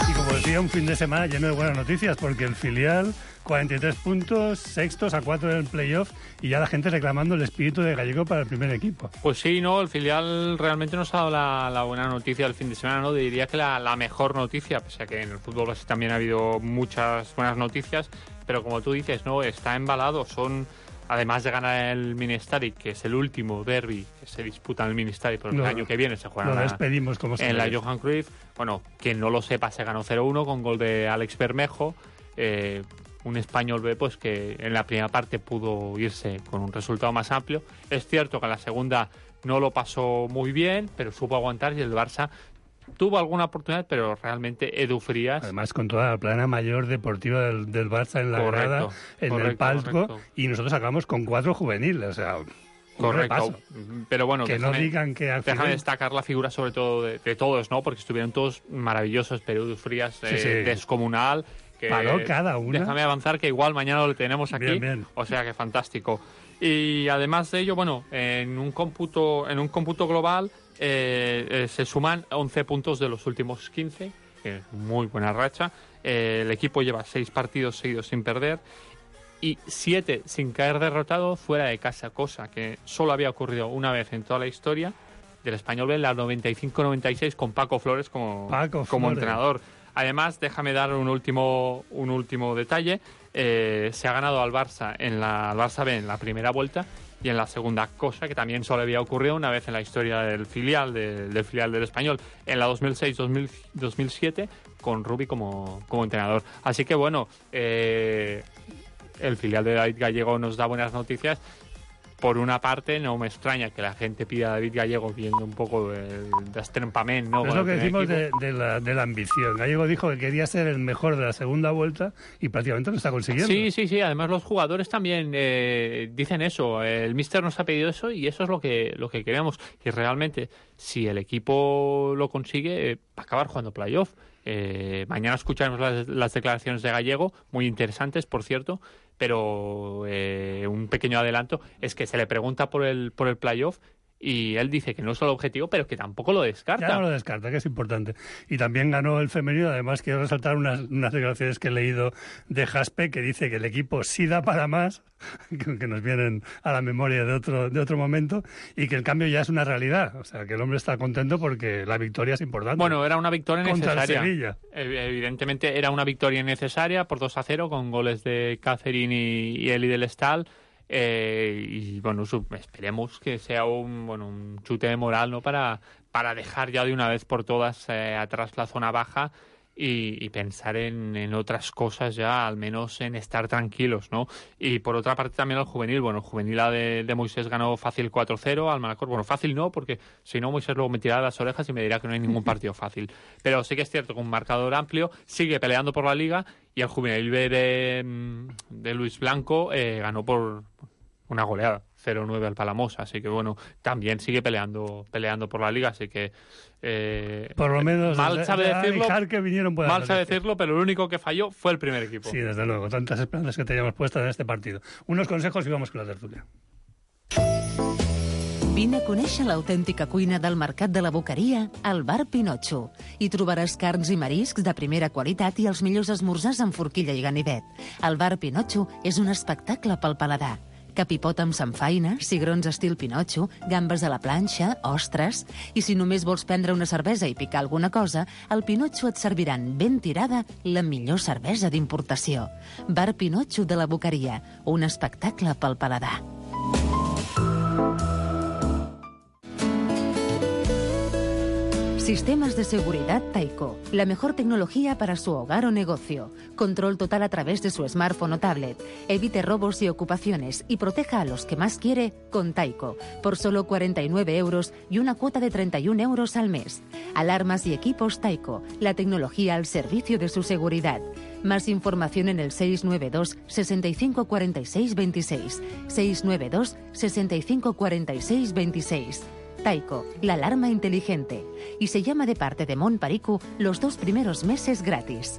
Y como decía, un fin de semana lleno de buenas noticias, porque el filial, cuarenta y tres puntos, sextos a cuatro del playoff, y ya la gente reclamando el espíritu de Gallego para el primer equipo. Pues sí, no, el filial realmente nos ha dado la, la buena noticia del fin de semana, ¿no? Diría que la, la mejor noticia, pese a que en el fútbol base también ha habido muchas buenas noticias, pero como tú dices, no, está embalado, son... Además de ganar el Ministeri, que es el último derbi que se disputa en el Ministeri, pero lo, el año que viene se juega lo en, despedimos, como en la Johan Cruyff. Bueno, quien no lo sepa, se ganó cero uno con gol de Alex Bermejo. Eh, un español B, pues que en la primera parte pudo irse con un resultado más amplio. Es cierto que en la segunda no lo pasó muy bien, pero supo aguantar y el Barça tuvo alguna oportunidad, pero realmente Edu Frías... Además, con toda la plana mayor deportiva del, del Barça en la correcto, grada, en correcto, el palco, correcto. Y nosotros acabamos con cuatro juveniles, o sea... Correcto, repaso. Pero bueno, que déjame, no digan que al déjame final... destacar la figura sobre todo de, de todos, ¿no? Porque estuvieron todos maravillosos, pero Edu Frías sí, eh, sí. descomunal. Que, Paró cada una. Déjame avanzar que igual mañana lo tenemos aquí, bien, bien. O sea que fantástico. Y además de ello, bueno, en un cómputo, en un cómputo global eh, eh, se suman once puntos de los últimos quince, que es muy buena racha. Eh, el equipo lleva seis partidos seguidos sin perder y siete sin caer derrotado fuera de casa, cosa que solo había ocurrido una vez en toda la historia del Español B, en la noventa y cinco noventa y seis, con Paco Flores como, Paco como Flores. entrenador. Además, déjame dar un último, un último detalle. Eh, se ha ganado al Barça, en la, al Barça B en la primera vuelta y en la segunda, cosa que también solo había ocurrido una vez en la historia del filial, de, del filial del Español, en la dos mil seis dos mil siete, con Rubi como, como entrenador. Así que bueno, eh, el filial de David Gallego nos da buenas noticias. Por una parte, no me extraña que la gente pida a David Gallego viendo un poco el destrempament, ¿no? Es lo que decimos de, de, la, de la ambición. Gallego dijo que quería ser el mejor de la segunda vuelta y prácticamente lo está consiguiendo. Sí, sí, sí. Además, los jugadores también eh, dicen eso. El míster nos ha pedido eso y eso es lo que, lo que queremos. Y realmente, si el equipo lo consigue, eh, va a acabar jugando playoff. Eh, mañana escucharemos las, las declaraciones de Gallego, muy interesantes, por cierto, pero eh, un pequeño adelanto es que se le pregunta por el por el playoff y él dice que no es el objetivo, pero que tampoco lo descarta. Ya no lo descarta, que es importante. Y también ganó el femenino. Además, quiero resaltar unas, unas declaraciones que he leído de Jaspe, que dice que el equipo sí da para más, que nos vienen a la memoria de otro de otro momento, y que el cambio ya es una realidad. O sea, que el hombre está contento porque la victoria es importante. Bueno, era una victoria contra necesaria. El Sevilla. Evidentemente era una victoria necesaria por dos a cero, con goles de Catherine y, y Eli del Estal. Eh, y bueno, esperemos que sea un bueno un chute de moral, ¿no? Para, para dejar ya de una vez por todas eh, atrás la zona baja y, y pensar en, en otras cosas ya, al menos en estar tranquilos, ¿no? Y por otra parte también el juvenil, bueno, el juvenil de, de Moisés ganó fácil cuatro cero al Manacor. Bueno, fácil no, porque si no Moisés luego me tirará las orejas y me dirá que no hay ningún partido fácil. Pero sí que es cierto que un marcador amplio, sigue peleando por la Liga y el juvenil B de, de Luis Blanco eh, ganó por una goleada, cero nueve al Palamós, así que bueno, también sigue peleando peleando por la Liga, así que eh, por lo menos mal sabe decirlo, que vinieron mal sabe decirlo, pero el único que falló fue el primer equipo. Sí, desde luego, tantas esperanzas que teníamos puestas en este partido. Unos consejos y vamos con la tertulia. Vine a conèixer l'autèntica cuina del Mercat de la Boqueria al Bar Pinotxo. Hi trobaràs carns i mariscs de primera qualitat i els millors esmorzars amb forquilla i ganivet. El Bar Pinotxo és un espectacle pel paladar. Capipot amb samfaina, cigrons estil Pinotxo, gambes a la planxa, ostres... I si només vols prendre una cervesa i picar alguna cosa, al Pinotxo et serviran ben tirada la millor cervesa d'importació. Bar Pinotxo de la Boqueria, un espectacle pel paladar. Sistemas de seguridad Taiko, la mejor tecnología para su hogar o negocio. Control total a través de su smartphone o tablet. Evite robos y ocupaciones y proteja a los que más quiere con Taiko, por solo cuarenta y nueve euros y una cuota de treinta y un euros al mes. Alarmas y equipos Taiko, la tecnología al servicio de su seguridad. Más información en el seis nueve dos, sesenta y cinco cuarenta y seis veintiséis. seis nueve dos, sesenta y cinco cuarenta y seis veintiséis. Taiko, la alarma inteligente. Y se llama de parte de Montparicu los dos primeros meses gratis.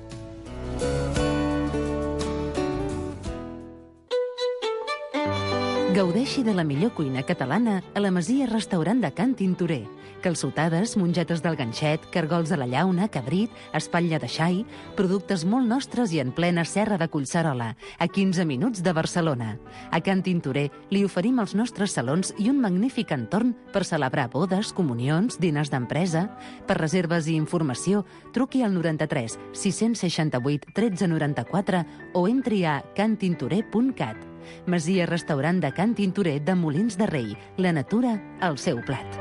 Gaudeixi de la millor cuina catalana a la Masia Restaurant de Can Tintorer. Calçotades, mongetes del ganxet, cargols a la llauna, cabrit, espatlla de xai, productes molt nostres i en plena serra de Collserola, a quinze minuts de Barcelona. A Can Tintorer li oferim els nostres salons i un magnífic entorn per celebrar bodes, comunions, diners d'empresa. Per reserves i informació, truqui al noranta-tres sis seixanta-vuit tretze noranta-quatre o entri a cantintorer punt cat. Masia Restaurant de Can Tintorer de Molins de Rei. La natura al seu plat.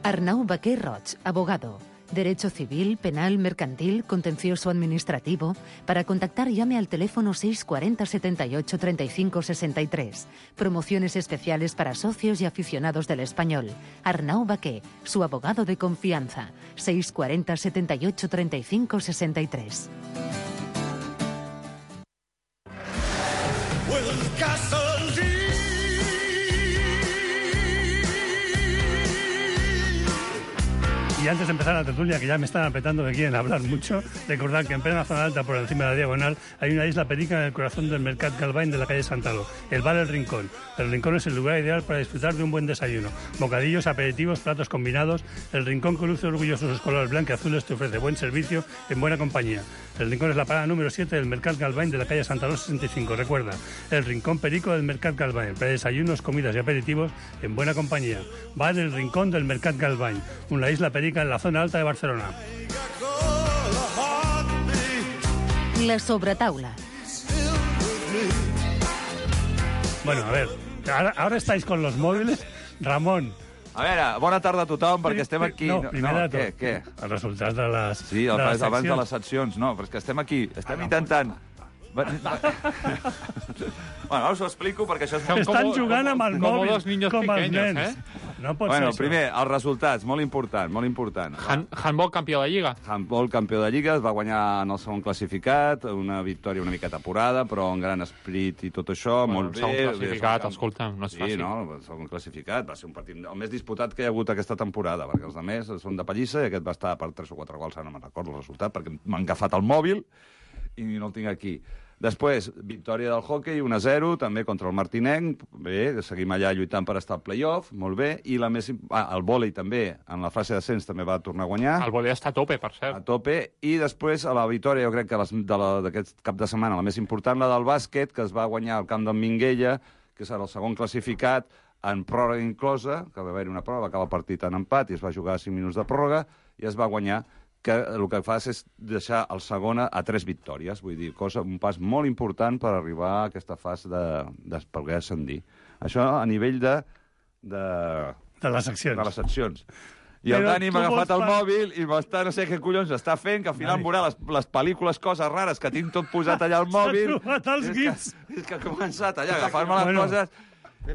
Arnau Baquer Roig, abogado. Derecho civil, penal, mercantil, contencioso administrativo. Para contactar llame al teléfono seis cuarenta setenta y ocho treinta y cinco sesenta y tres. Promociones especiales para socios y aficionados del español. Arnau Baquer, su abogado de confianza. seis cuarenta setenta y ocho treinta y cinco sesenta y tres. Y antes de empezar la tertulia, que ya me están apretando que quieren hablar mucho, recordad que en plena zona alta, por encima de la diagonal, hay una isla perica en el corazón del Mercat Galvany de la calle Santaló, el bar El Rincón. El Rincón es el lugar ideal para disfrutar de un buen desayuno. Bocadillos, aperitivos, platos combinados. El Rincón, con luce orgulloso sus colores blanqueazules, te ofrece buen servicio en buena compañía. El Rincón es la parada número siete del Mercat Galvany de la calle Santaló sesenta y cinco. Recuerda, el Rincón Perico del Mercat Galvany, para desayunos, comidas y aperitivos en buena compañía. Bar El Rincón del Mercat Galvany, una isla perica en la zona alta de Barcelona. La sobretaula. Bueno, a ver, ahora, ahora estáis con los móviles. Ramon. A veure, bona tarda a tothom, perquè estem aquí... No, primer no, de tot, què, què? els resultats de les Sí, el de les abans de seccions. les seccions, no, però és que estem aquí, estem intentant... Va- va- Bueno, ara us ho explico perquè això és... Som Estan como- jugant amb el como mòbil, dos niños com els pequeños, nens. ¿eh? No pot Bueno, ser això. primer, els resultats, molt important, molt important. Han- Handball campió de Lliga. Handball campió de Lliga, es va guanyar en el segon classificat, una victòria una miqueta apurada, però amb gran esprit i tot això, Bueno, molt el segon bé. classificat, Bé, escolta, no és sí, fàcil. no, el segon classificat va ser un partit el més disputat que hi ha hagut aquesta temporada, perquè els altres són de pallissa i aquest va estar per tres o quatre gols, ara no me'n recordo el resultat, perquè m'han agafat el mòbil i no el tinc aquí. Després, victòria del hockey, un a zero, també contra el Martinenc. Bé, seguim allà lluitant per estar al play-off, molt bé. I la més... Ah, el vòlei també, en la fase d'ascens també va tornar a guanyar. El vòlei està a tope, per A cert. tope. I després, a la victòria, jo crec que les- de la- d'aquest cap de setmana, la més important, la del bàsquet, que es va guanyar al camp d'en Minguella, que serà el segon classificat, en pròrroga inclosa, que va haver-hi una pròrroga, va acabar el partit en empat i es va jugar a cinc minuts de pròrroga, i es va guanyar, que el que fas és deixar el segon a tres victòries. Vull dir, cosa, un pas molt important per arribar a aquesta fase de, de poder ascendir. Això a nivell de... de, De les seccions. de les seccions. I el Però Dani tu m'ha agafat vols el fa- mòbil i m'està no sé què collons està fent, que al final Dani. veurà les, les pel·lícules, coses rares que tinc tot posat allà al mòbil. trobat els És gifs. Que, és que ha començat allà a agafar-me les Bueno. coses. I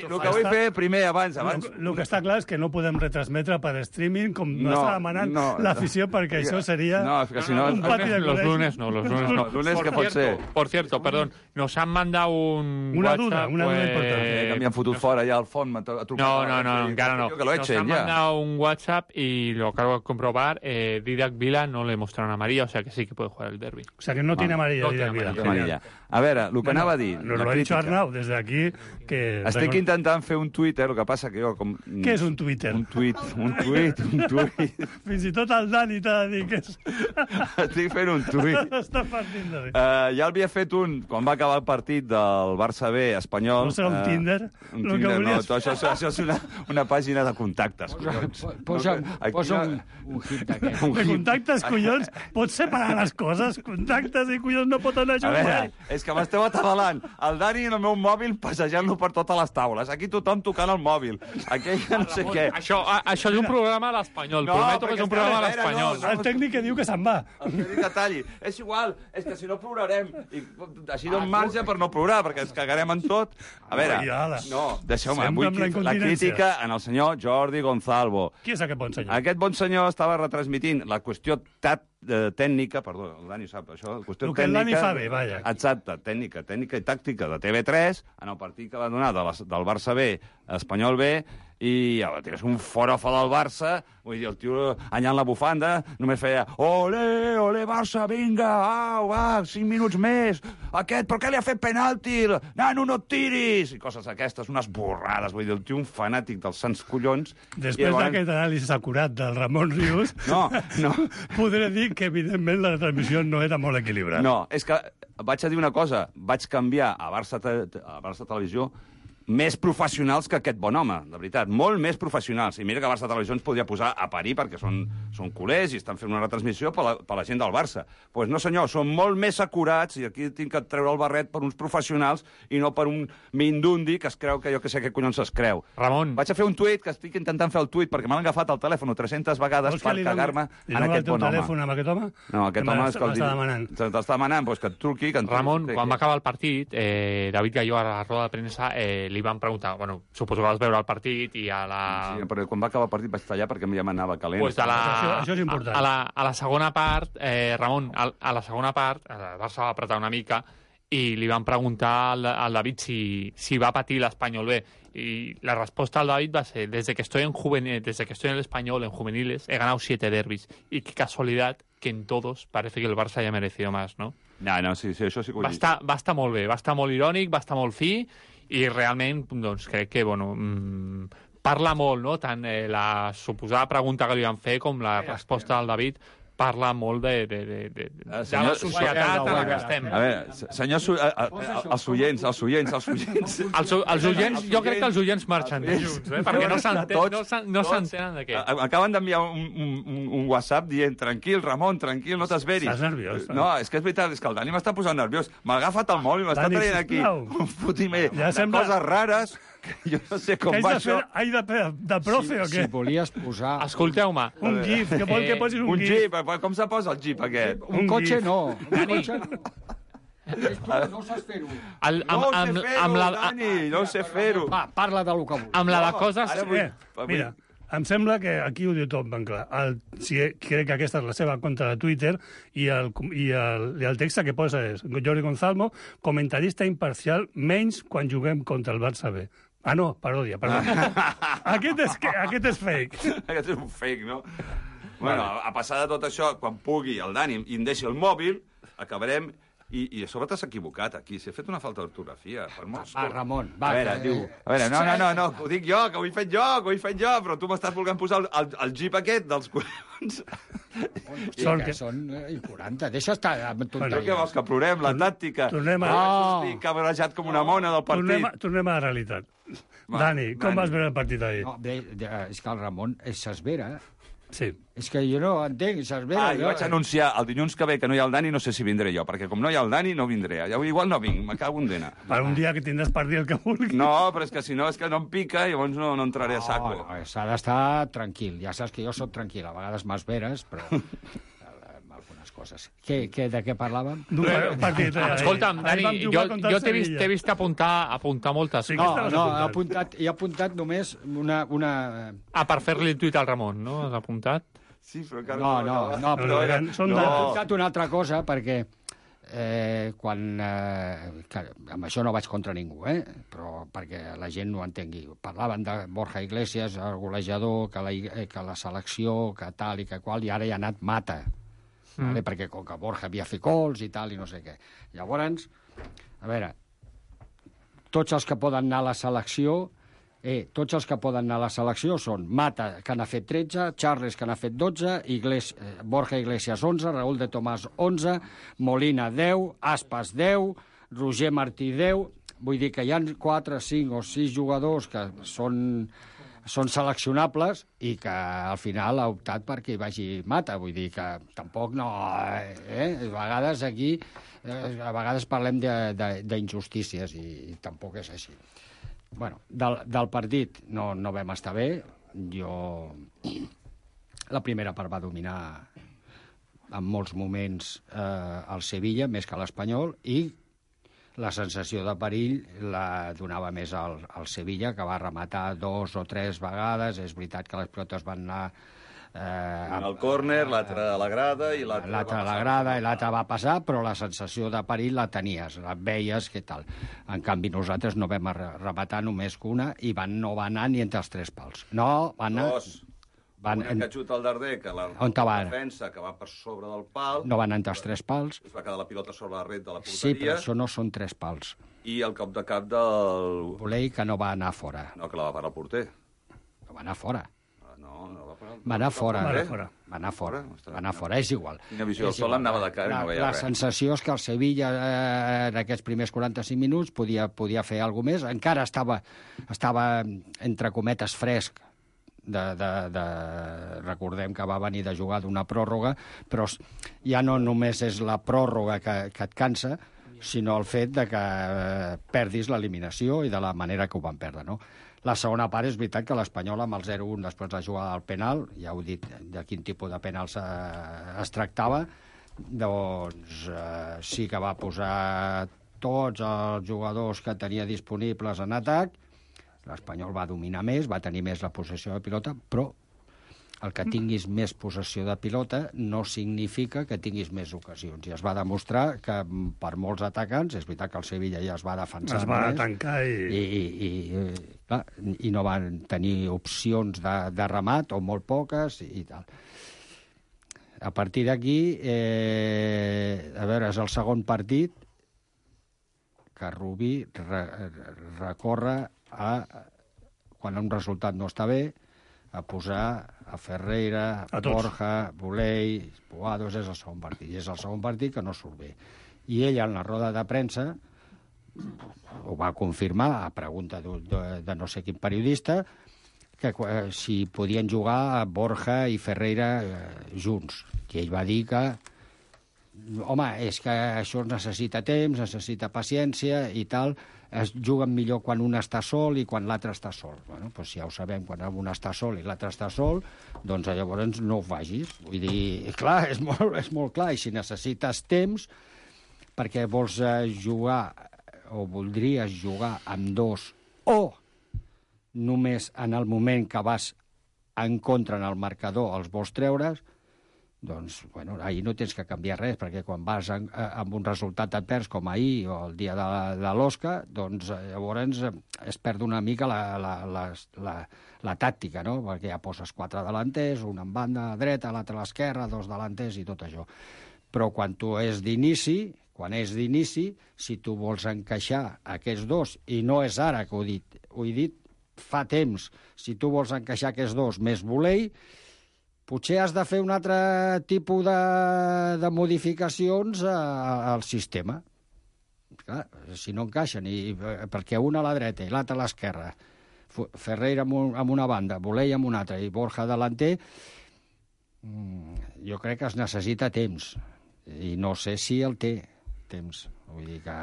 el que vull fer, primer, abans... abans El, el que està clar és que no podem retransmetre per streaming com no, No, està demanant no. l'afició, perquè això seria No, és que si no... un pati de Los col·legi. lunes no, los lunes no. Los lunes, por ¿qué puede cierto, ser? Por cierto, perdón, nos han mandado un Una WhatsApp, duda, una duda pues, importante. Eh, que m'han fotut fora ja al fons. m'ha trucat No, a- no, no, sí, encara no. Que lo Nos echen han ya. mandado un WhatsApp y lo acabo de comprobar. Eh, Didac Vila no le mostraron amarilla, o sea que sí que puede jugar el derbi. O sea, que no tiene amarilla. no Díaz tiene Vidal. amarilla. Que amarilla. A veure, el que anava a dir... Nos la lo ha dicho crítica. Arnau desde aquí. Que Estic intentant fer un Twitter, el que passa que jo... Com... Què és un Twitter? Un tuit, un tuit, un tuit. Fins i tot el Dani t'ha de dir que és... Estic fent un tuit. Està partint de bé. Uh, ja l'havia fet un, quan va acabar el partit del Barça B espanyol. No serà un eh, Tinder? Un Lo que Tinder, no, volies tot això, això és una, una pàgina de contactes. collons. Posa, Aquí posa no- un, un hit d'aquest. un De hit. contactes, collons, pots separar les coses? Contactes i collons no pot anar A veure, junts. és que m'esteu atabalant. El Dani en el meu mòbil passejant-lo per totes les taules. Aquí tothom tocant el mòbil. Aquell no sé què. Això, a, això és un programa a l'espanyol. No, Prometo que perquè és un programa a és que, a veure, l'espanyol. no, El tècnic que diu que se'n va. El que dic detalli. És igual, és que si no plorarem. I així dono marge per no plorar, perquè ens cagarem en tot. A veure, Ai, ala. no, deixeu-me. Sempre Vull amb la que- la incontinència. crítica en el senyor Jordi Gonzalvo. Qui és aquest bon senyor? Aquest bon senyor estava retransmitint la qüestió tat, eh, tècnica, perdó, el Dani sap això, la qüestió El que el tècnica... Dani fa bé, vaja. Exacte, tècnica, tècnica i tàctica de T V tres, en el partit que va donar de la, del Barça B, Espanyol B, i ja, tires un forofa del Barça, vull dir, el tio allà en la bufanda només feia ole, ole, Barça, vinga, au, va, cinc minuts més, aquest, però què li ha fet penalti? Nano, no et tiris! I coses aquestes, unes borrades, vull dir, el tio un fanàtic dels sants collons. Després I llavors- d'aquest anàlisi acurat del Ramon Rius, No, no. podré dir que, evidentment, la transmissió no era molt equilibrada. No, és que vaig a dir una cosa. Vaig canviar a Barça, te, a Barça Televisió més professionals que aquest bon home, de veritat. Molt més professionals. I mira que Barça Televisió ens podria posar a parir perquè són, són culers i estan fent una retransmissió per la, per la gent del Barça. Doncs pues no, senyor, són molt més acurats i aquí tinc que treure el barret per uns professionals i no per un mindundi que es creu que jo que sé què collons es creu. Ramon. Vaig a fer un tuit, que estic intentant fer el tuit, perquè m'han agafat el telèfon tres-centes vegades Vols que per li doni- cagar-me li en doni el aquest teu bon home. telèfon amb aquest home? No, aquest Que home me és que el l'està demanant. T'està demanant pues, que et truqui. Que et Ramon, truqui. quan va acabar el partit, eh, David Galló a la roda de premsa eh, li van preguntar, bueno, suposo que vas veure el partit i a la... Sí, però quan va acabar el partit vaig tallar perquè ja m'anava calent. Pues a la, Això- això és important. A, a, la, a la segona part, eh, Ramon, a, a la segona part, el Barça va apretar una mica i li van preguntar al, al David si, si va patir l'Espanyol B. Y la respuesta al David va a ser: desde que estoy en juvenil, desde que estoy en el Español, en juveniles, he ganado siete derbis. Y qué casualidad que en todos parece que el Barça haya merecido más, ¿no? No, no, sí, sí, això sí que ho va estar, va estar molt bé, va estar molt irònic, va estar molt fi, i realment, doncs, crec que, bueno, mmm, parla molt, no?, tant eh, la suposada pregunta que li van fer com la resposta del David, parla molt de, de, de, de, de senyor, la societat en la que estem. A veure, senyor, su, a, a, a, els oients, els oients, els oients... Els, els oients, jo crec que els oients marxen de junts, eh? Perquè no s'entenen no s'entenen de què. Acaben d'enviar un, un, un WhatsApp dient: tranquil, Ramon, tranquil, no t'esveris. Estàs nerviós. No, és que és veritat, és que el Dani m'està posant nerviós. M'ha agafat el mòbil, m'està traient aquí un fotimer de sembla... coses rares... Jo no sé com va això. Ai, de, de profe, o què? Si volies posar... Escolteu-me. Un gif, que vol que posis un, un gif. gif. Com se posa el gif, aquest? Un, un cotxe gif. no. Un Dani. cotxe no. No saps fer-ho. El, No amb, ho sé amb, fer-ho, amb la, Dani, no ho sé fer-ho. Va, parla del que vulguis. amb la de coses... Ara vull... Eh, mira, em sembla que aquí ho diu tot ben clar. El, si, crec que aquesta és la seva compte de Twitter i el, i el, i el text que posa és: Jordi Gonzalmo, comentarista imparcial, menys quan juguem contra el Barça B. Ah, no, paròdia, paròdia. aquest, és, aquest és fake. Aquest és un fake, no? Bueno, a, a passar de tot això, quan pugui el Dani i em deixi el mòbil, acabarem... I, i a sobre t'has equivocat aquí, s'ha fet una falta d'ortografia. Per molts... Va, Ramon, va. A veure, que... diu... A veure, no, no, no, no, ho dic jo, que ho he fet jo, que ho he fet jo, però tu m'estàs volent posar el, el, el jeep aquest dels collons. Són, que són eh, quaranta. Deixa estar amb Però tonteries. què vols, que plorem, la tàctica? Tornem a... Ah. Estic cabrejat com una mona del partit. Tornem a, tornem a la realitat. Va, Dani, com Dani. vas veure el partit ahir? No, bé, de- és que el Ramon s'esvera. Sí. És que jo no entenc, s'esvera. Ah, jo vaig anunciar el dilluns que ve que no hi ha el Dani, no sé si vindré jo, perquè com no hi ha el Dani, no vindré. Ja, igual no vinc, me cago en dena. Per un dia que tindràs per dir el que vulguis. No, però és que si no, és que no em pica i llavors no, no entraré a saco. No, no, s'ha d'estar tranquil. Ja saps que jo sóc tranquil, a vegades m'esveres, però amb algunes coses. Què, què, de què parlàvem? D'un partit. eh, Escolta'm, ahir Dani, vam jo, jugar contra el jo t'he vist, Sevilla. t'he vist apuntar, apuntar moltes Sí, coses. que No, estaves no, he apuntant. apuntat, he apuntat només una... una... Ah, per fer-li el tuit al Ramon, no? Has apuntat? Sí, però encara No, no, no, però No, no, són he datos. apuntat una altra cosa perquè eh, quan... Eh, que, amb això no vaig contra ningú, eh? Però perquè la gent no ho entengui. Parlaven de Borja Iglesias, el golejador, que la, eh, que la selecció, que tal i que qual, i ara hi ha anat Mata. Mm. Vale? Perquè com que Borja havia fet gols i tal, i no sé què. Llavors, a veure, tots els que poden anar a la selecció... Eh, tots els que poden anar a la selecció són Mata, que n'ha fet tretze, Charles, que n'ha fet dotze, Igles, eh, Borja Iglesias, onze, Raúl de Tomàs, onze, Molina, deu, Aspas, deu, Roger Martí, deu... Vull dir que hi ha quatre, cinc o sis jugadors que són, són seleccionables i que al final ha optat perquè hi vagi Mata. Vull dir que tampoc no... Eh? A vegades aquí... Eh, a vegades parlem d'injustícies i, i tampoc és així. Bueno, del, del partit no, no vam estar bé. Jo... La primera part va dominar en molts moments eh, el Sevilla, més que l'Espanyol, i la sensació de perill la donava més al, al Sevilla, que va rematar dos o tres vegades. És veritat que les pilotes van anar... Eh, Un al córner, l'altre a la grada i l'altre... L'altre a la grada i l'altre va passar, però la sensació de perill la tenies, la veies, què tal. En canvi, nosaltres no vam re- rematar només que una i van, no va anar ni entre els tres pals. No, van anar... Dos. Van, Una que xuta al darder, que la, On te va? la defensa, que va per sobre del pal, no van entre els tres pals. es va quedar la pilota sobre la ret de la porteria, Sí, però això no són tres pals. i el cop de cap del... Volei que no va anar fora. No, que la va parar el porter. No va anar fora. No, no va parar el Va anar fora. Va anar fora. Va anar fora. Va anar fora, és igual. Quina visió del És sol igual. anava de cara i la, no veia la res. sensació és que el Sevilla eh, en aquests primers quaranta-cinc minuts podia, podia fer alguna més. Encara estava, estava entre cometes fresc. De, de, de... Recordem que va venir de jugar d'una pròrroga, però ja no només és la pròrroga que, que et cansa, sinó el fet de que eh, perdis l'eliminació i de la manera que ho van perdre, no? La segona part és veritat que l'Espanyol amb el zero un després de jugar al penal, ja heu dit de quin tipus de penal es, es tractava, doncs eh, sí que va posar tots els jugadors que tenia disponibles en atac. L'Espanyol va dominar més, va tenir més la possessió de pilota, però el que tinguis més possessió de pilota no significa que tinguis més ocasions. I es va demostrar que per molts atacants, és veritat que el Sevilla ja es va defensar es va més, tancar i... I, i, i, clar, i no van tenir opcions de, de remat, o molt poques, i tal. A partir d'aquí, eh, a veure, és el segon partit que Rubí re, recorre a, quan un resultat no està bé, a posar a Ferreira, a Borja, Buley, Puados, és el segon partit. I és el segon partit que no surt bé. I ell, en la roda de premsa, ho va confirmar, a pregunta de, de, de no sé quin periodista, que eh, si podien jugar Borja i Ferreira eh, junts. I ell va dir que home, és que això necessita temps, necessita paciència i tal, es juguen millor quan un està sol i quan l'altre està sol. Bueno, doncs ja ho sabem, quan un està sol i l'altre està sol, doncs llavors no ho facis. Vull dir, clar, és molt, és molt clar, i si necessites temps perquè vols jugar o voldries jugar amb dos o només en el moment que vas en contra en el marcador els vols treure's, doncs, bueno, ahir no tens que canviar res, perquè quan vas en, amb un resultat advers com ahir o el dia de, de l'Osca, doncs llavors es perd una mica la, la, la, la, la tàctica, no? Perquè ja poses quatre delanters, un en banda dreta, l'altre a l'esquerra, dos delanters i tot això. Però quan tu és d'inici, quan és d'inici, si tu vols encaixar aquests dos, i no és ara que ho he dit, ho he dit fa temps, si tu vols encaixar aquests dos més Buley, potser has de fer un altre tipus de, de modificacions a, al sistema. Clar, si no encaixen, i, perquè un a la dreta i l'altre a l'esquerra, Ferreira amb, un, amb una banda, Buley amb una altra i Borja delanter, jo crec que es necessita temps. I no sé si el té, temps. Vull dir que...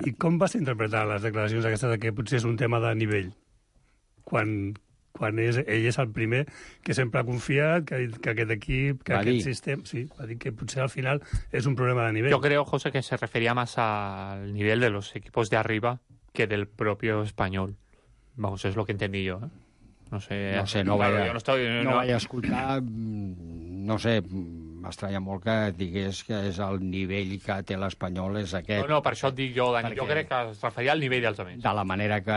I com vas interpretar les declaracions aquestes que potser és un tema de nivell? Quan... quan és, ell és el primer que sempre ha confiat que, que aquest equip, que va aquest dir. sistema... Sí, va dir que potser al final és un problema de nivel. Yo creo, José, que se refería más al nivel de los equipos de arriba que del propio español. Vamos, es lo que entendí yo, ¿eh? No sé, no, sé, no, claro, vaig, jo no, estoy, no, no... no vaig escoltar, no sé, m'estranya molt que digués que és el nivell que té l'Espanyol és aquest. No, no, per això et dic jo, Dani, Perquè... jo crec que es referia al nivell dels altres. De la manera que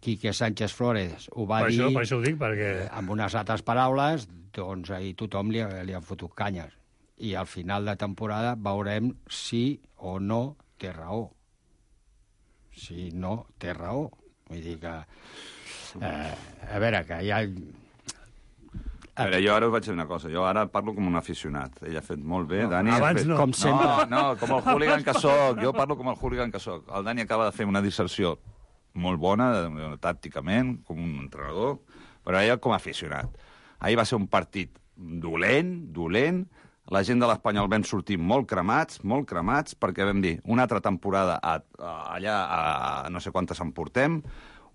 Quique Sánchez Flores ho va per dir, això, per això ho dic, perquè... amb unes altres paraules, doncs ahir tothom li, li ha fotut canyes. I al final de temporada veurem si o no té raó. Si no té raó. Vull dir que... Eh, a veure, que hi ha... A veure, jo ara us vaig dir una cosa. Jo ara parlo com un aficionat. Ell ha fet molt bé, no, Dani... Abans fet... no. Com sempre. No, no, com el hooligan que soc. Jo parlo com el hooligan que soc. El Dani acaba de fer una disserció molt bona, tàcticament, com un entrenador, però ella com a aficionat. Ahir va ser un partit dolent, dolent. La gent de l'Espanyol vam sortir molt cremats, molt cremats, perquè vam dir una altra temporada a, a, allà, a no sé quantes en portem,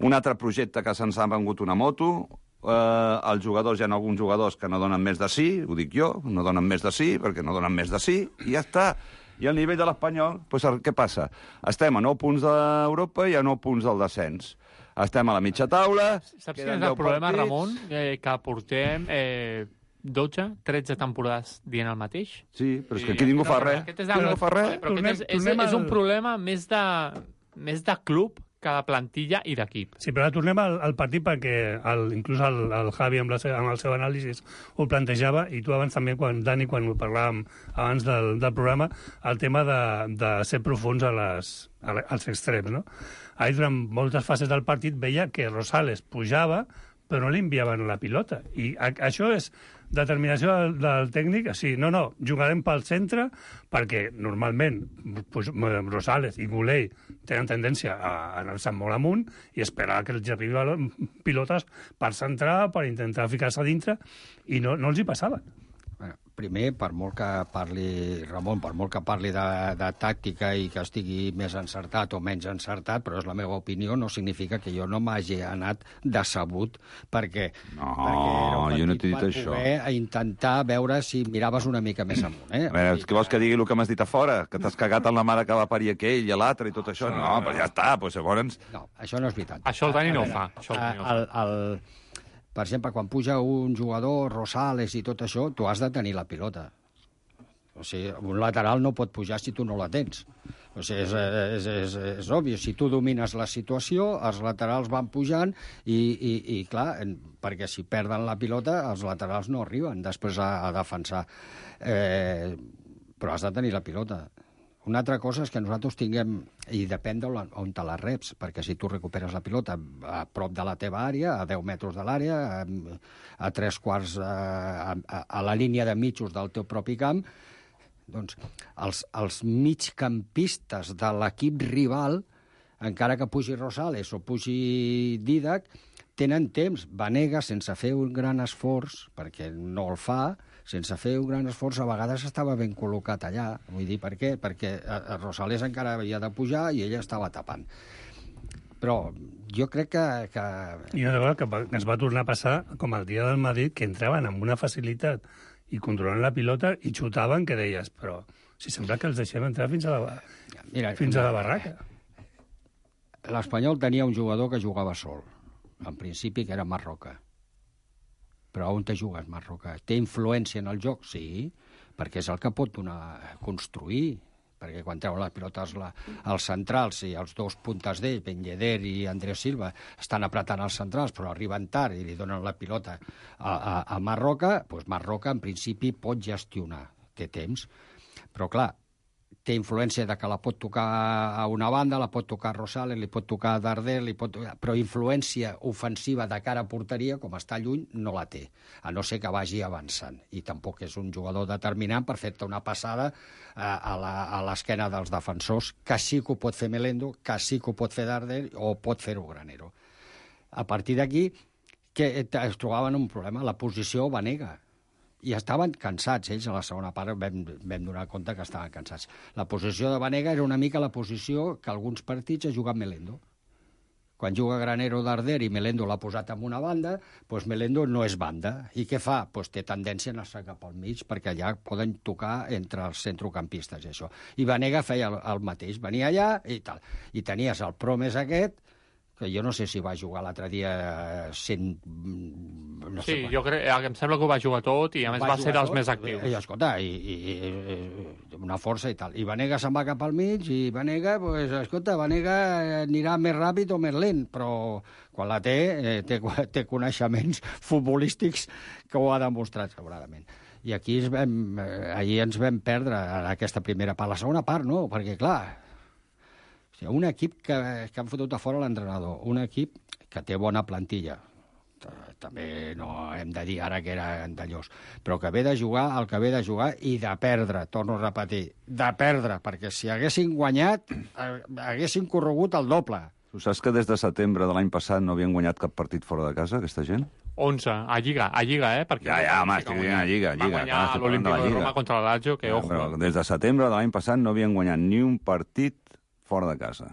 un altre projecte que se'ns ha vengut una moto, eh, els jugadors, hi ha alguns jugadors que no donen més de sí, ho dic jo, no donen més de sí, perquè no donen més de sí, i ja està. I al nivell de l'Espanyol, doncs, què passa? Estem a nou punts d'Europa i a nou punts del descens. Estem a la mitja taula... Saps quin és el problema, partits... Ramon? Eh, que portem eh, dotze, tretze temporades dient el mateix? Sí, però és que aquí ningú fa res. Aquest és, el... no fa res. Però aquest és, és, és un problema més de, més de club que de plantilla i d'equip. Sí, però ara tornem al, al partit perquè el, inclús el, el Javi amb, la, amb el seu anàlisi ho plantejava, i tu abans també, quan, Dani, quan ho parlàvem abans del, del programa, el tema de, de ser profuns a les, a, als extrems, no? Ahir, durant moltes fases del partit, veia que Rosales pujava, però no li enviaven la pilota. I a, això és determinació del, del tècnic. Sí, no, no, jugarem pel centre, perquè normalment pues, Rosales i Buley tenen tendència a anar-se molt amunt i esperar que els arribi pilotes per centrar, per intentar ficar-se a dintre, i no, no els hi passaven. Bueno, primer, per molt que parli, Ramon, per molt que parli de, de tàctica i que estigui més encertat o menys encertat, però és la meva opinió, no significa que jo no m'hagi anat decebut perquè... No, perquè jo no t'he dit això. A intentar veure si miraves una mica més amunt, eh? A veure, què vols que digui el que m'has dit a fora? Que t'has cagat en la mare que va parir aquell i l'altre i tot això? No, però ja està, doncs llavors... No, això no és veritat. Això el Dani no ho fa. Això el Dani no ho fa. El, el, per exemple, quan puja un jugador, Rosales i tot això, tu has de tenir la pilota. O sigui, un lateral no pot pujar si tu no la tens. O sigui, és, és, és, és obvi. Si tu domines la situació, els laterals van pujant i, i, i clar, perquè si perden la pilota, els laterals no arriben després a, a defensar. Eh, però has de tenir la pilota. Una altra cosa és que nosaltres tinguem, i depèn d'on te la reps, perquè si tu recuperes la pilota a prop de la teva àrea, a deu metres de l'àrea, a, a tres quarts, a, a, a la línia de mitjos del teu propi camp, doncs els, els migcampistes de l'equip rival, encara que pugi Rosales o pugi Dídac, tenen temps. Vanega, sense fer un gran esforç, perquè no el fa, sense fer un gran esforç, a vegades estava ben col·locat allà. Vull dir, per què? Perquè Rosales encara havia de pujar i ella estava tapant. Però jo crec que... que... I una cosa que ens va tornar a passar, com el dia del Madrid, que entraven amb una facilitat i controlant la pilota i xutaven, que deies, però si sembla que els deixem entrar fins a la, Mira, fins a la barraca. L'Espanyol tenia un jugador que jugava sol, en principi, que era Marroca. Però on te jugues, Marroca? Té influència en el joc? Sí, perquè és el que pot donar, construir, perquè quan treuen les pilotes la, els centrals i els dos puntes d'ell, Ben Yedder i Andrés Silva, estan apretant els centrals, però arriben tard i li donen la pilota a, a, a Marroca, doncs Marroca en principi pot gestionar, té temps, però clar, té influència de que la pot tocar a una banda, la pot tocar a Rosales, li pot tocar a Darder, li pot tocar... però influència ofensiva de cara a porteria, com està lluny, no la té, a no ser que vagi avançant. I tampoc és un jugador determinant per fer-te una passada a, a l'esquena dels defensors, que sí que ho pot fer Melendo, que sí que ho pot fer Darder o pot fer-ho Granero. A partir d'aquí, que es trobaven un problema, la posició Vanega. I estaven cansats, ells a la segona part vam, vam donar compte que estaven cansats. La posició de Vanega era una mica la posició que alguns partits ha jugat Melendo. Quan juga Granero Darder i Melendo l'ha posat en una banda, doncs Melendo no és banda. I què fa? Doncs té tendència a anar-se cap al mig, perquè allà poden tocar entre els centrocampistes i això. I Vanega feia el, el mateix, venia allà i tal. I tenies el Promes aquest, que jo no sé si va jugar l'altre dia cent... No sí, sé jo crec, em sembla que ho va jugar tot i a més va, va ser dels tot, més actius. I, escolta, i, i, i una força i tal. I Vanega se'n va cap al mig i Vanega, pues, escolta, Vanega anirà més ràpid o més lent, però quan la té, eh, té, té coneixements futbolístics que ho ha demostrat segurament. I aquí ens vam, eh, ahir ens vam perdre en aquesta primera part. La segona part no, perquè clar... Un equip que, que han fotut a fora l'entrenador, un equip que té bona plantilla, també no hem de dir ara que era Andallós, però que ve de jugar el que ve de jugar i de perdre, torno a repetir, de perdre, perquè si haguessin guanyat, haguessin corregut el doble. Tu saps que des de setembre de l'any passat no havien guanyat cap partit fora de casa, aquesta gent? onze, a Lliga, a Lliga, eh? Perquè ja, ja, home, estic dient a Lliga, a Lliga. Va guanyar l'Olímpic de Roma contra la Lazio, que ja, ojo. Però des de setembre de l'any passat no havien guanyat ni un partit fora de casa.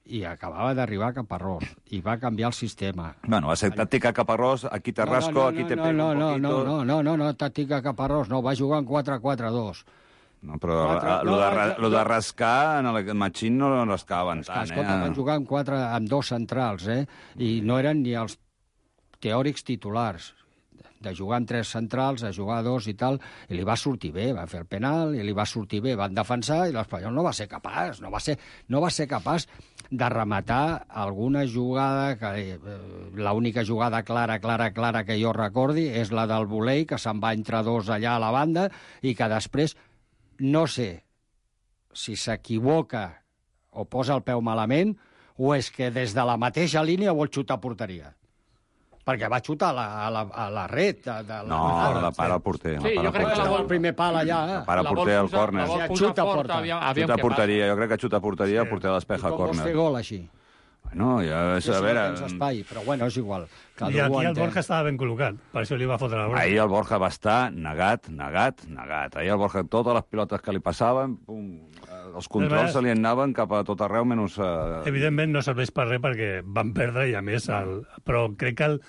I acabava d'arribar a Caparrós, i va canviar el sistema. Bueno, va ser tàctica Caparrós, aquí te rasco, no, no, no, aquí te no, pego no, un no, poquito... No, no, no, no, no, tàctica Caparrós, no, va jugar en quatre quatre dos. No, però el de, lo de rascar, en el Machín no rascaven tant, eh? Escolta, van jugar amb, quatre, amb dos centrals, eh? I no eren ni els teòrics titulars. De jugar amb tres centrals, a jugar a dos i tal, i li va sortir bé, va fer el penal, i li va sortir bé, van defensar, i l'Espanyol no va ser capaç, no va ser, no va ser capaç de rematar alguna jugada, que eh, l'única jugada clara, clara, clara que jo recordi és la del volei, que se'n va entre dos allà a la banda, i que després, no sé si s'equivoca o posa el peu malament, o és que des de la mateixa línia vol xutar a porteria. Perquè va xutar a la, a la, a la red. De, de la no, la, la para el porter. Sí, la para jo crec que la vol... el primer pal allà. La para el porter al córner. La vol posar fort, aviam, aviam xuta a porteria, jo crec que xuta a porteria, el porter despeja al córner. I com vols fer gol així? Bueno, ja, és, sí, a veure... No tens espai, però bueno, és igual. Cada I aquí el Borja estava ben col·locat, per això li va fotre la bola. Ahir el Borja va estar negat, negat, negat. Ahir el Borja, totes les pilotes que li passaven, pum, els controls se li anaven cap a tot arreu, menys... Uh... Evidentment no serveix per res perquè van perdre i a més... El... Però crec que el...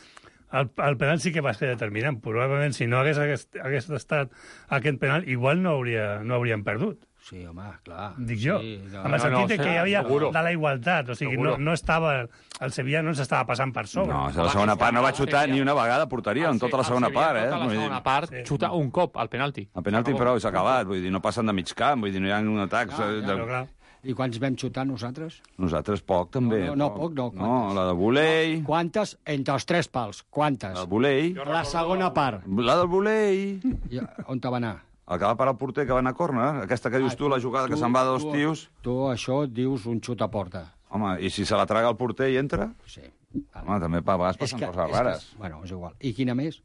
El, el penal sí que va ser determinant. Probablement, si no hagués, hagués, hagués estat aquest penal, igual no, hauria, no hauríem perdut. Sí, home, clar. Dic jo, sí, no, amb el sentit no, no, que hi havia seguro. de la igualtat, o sigui, no, no estava, el Sevilla no s'estava passant per sobre. No, a la segona part no va xutar ni una vegada a porteria, en tota la segona part, eh? Tota la segona part xuta un cop al penalti. El penalti, però, s'ha acabat, vull dir, no passen de mig camp, vull dir, no hi ha un atac. Ah, de... ja, clar. I quants vam xutar nosaltres? Nosaltres poc, també. No, no, no poc, no. No, la de volei... Quantes? Entre els tres pals. Quantes? La de volei... La segona part. La del volei... I on te va anar? El que va parar el porter, que va anar a córner. Aquesta que dius tu, la jugada que se'n va de dos tios... Tu això dius un xut a porta. Home, i si se la traga el porter i entra? Sí. Home, també a vegades passen coses rares. Bueno, és igual. I quina més?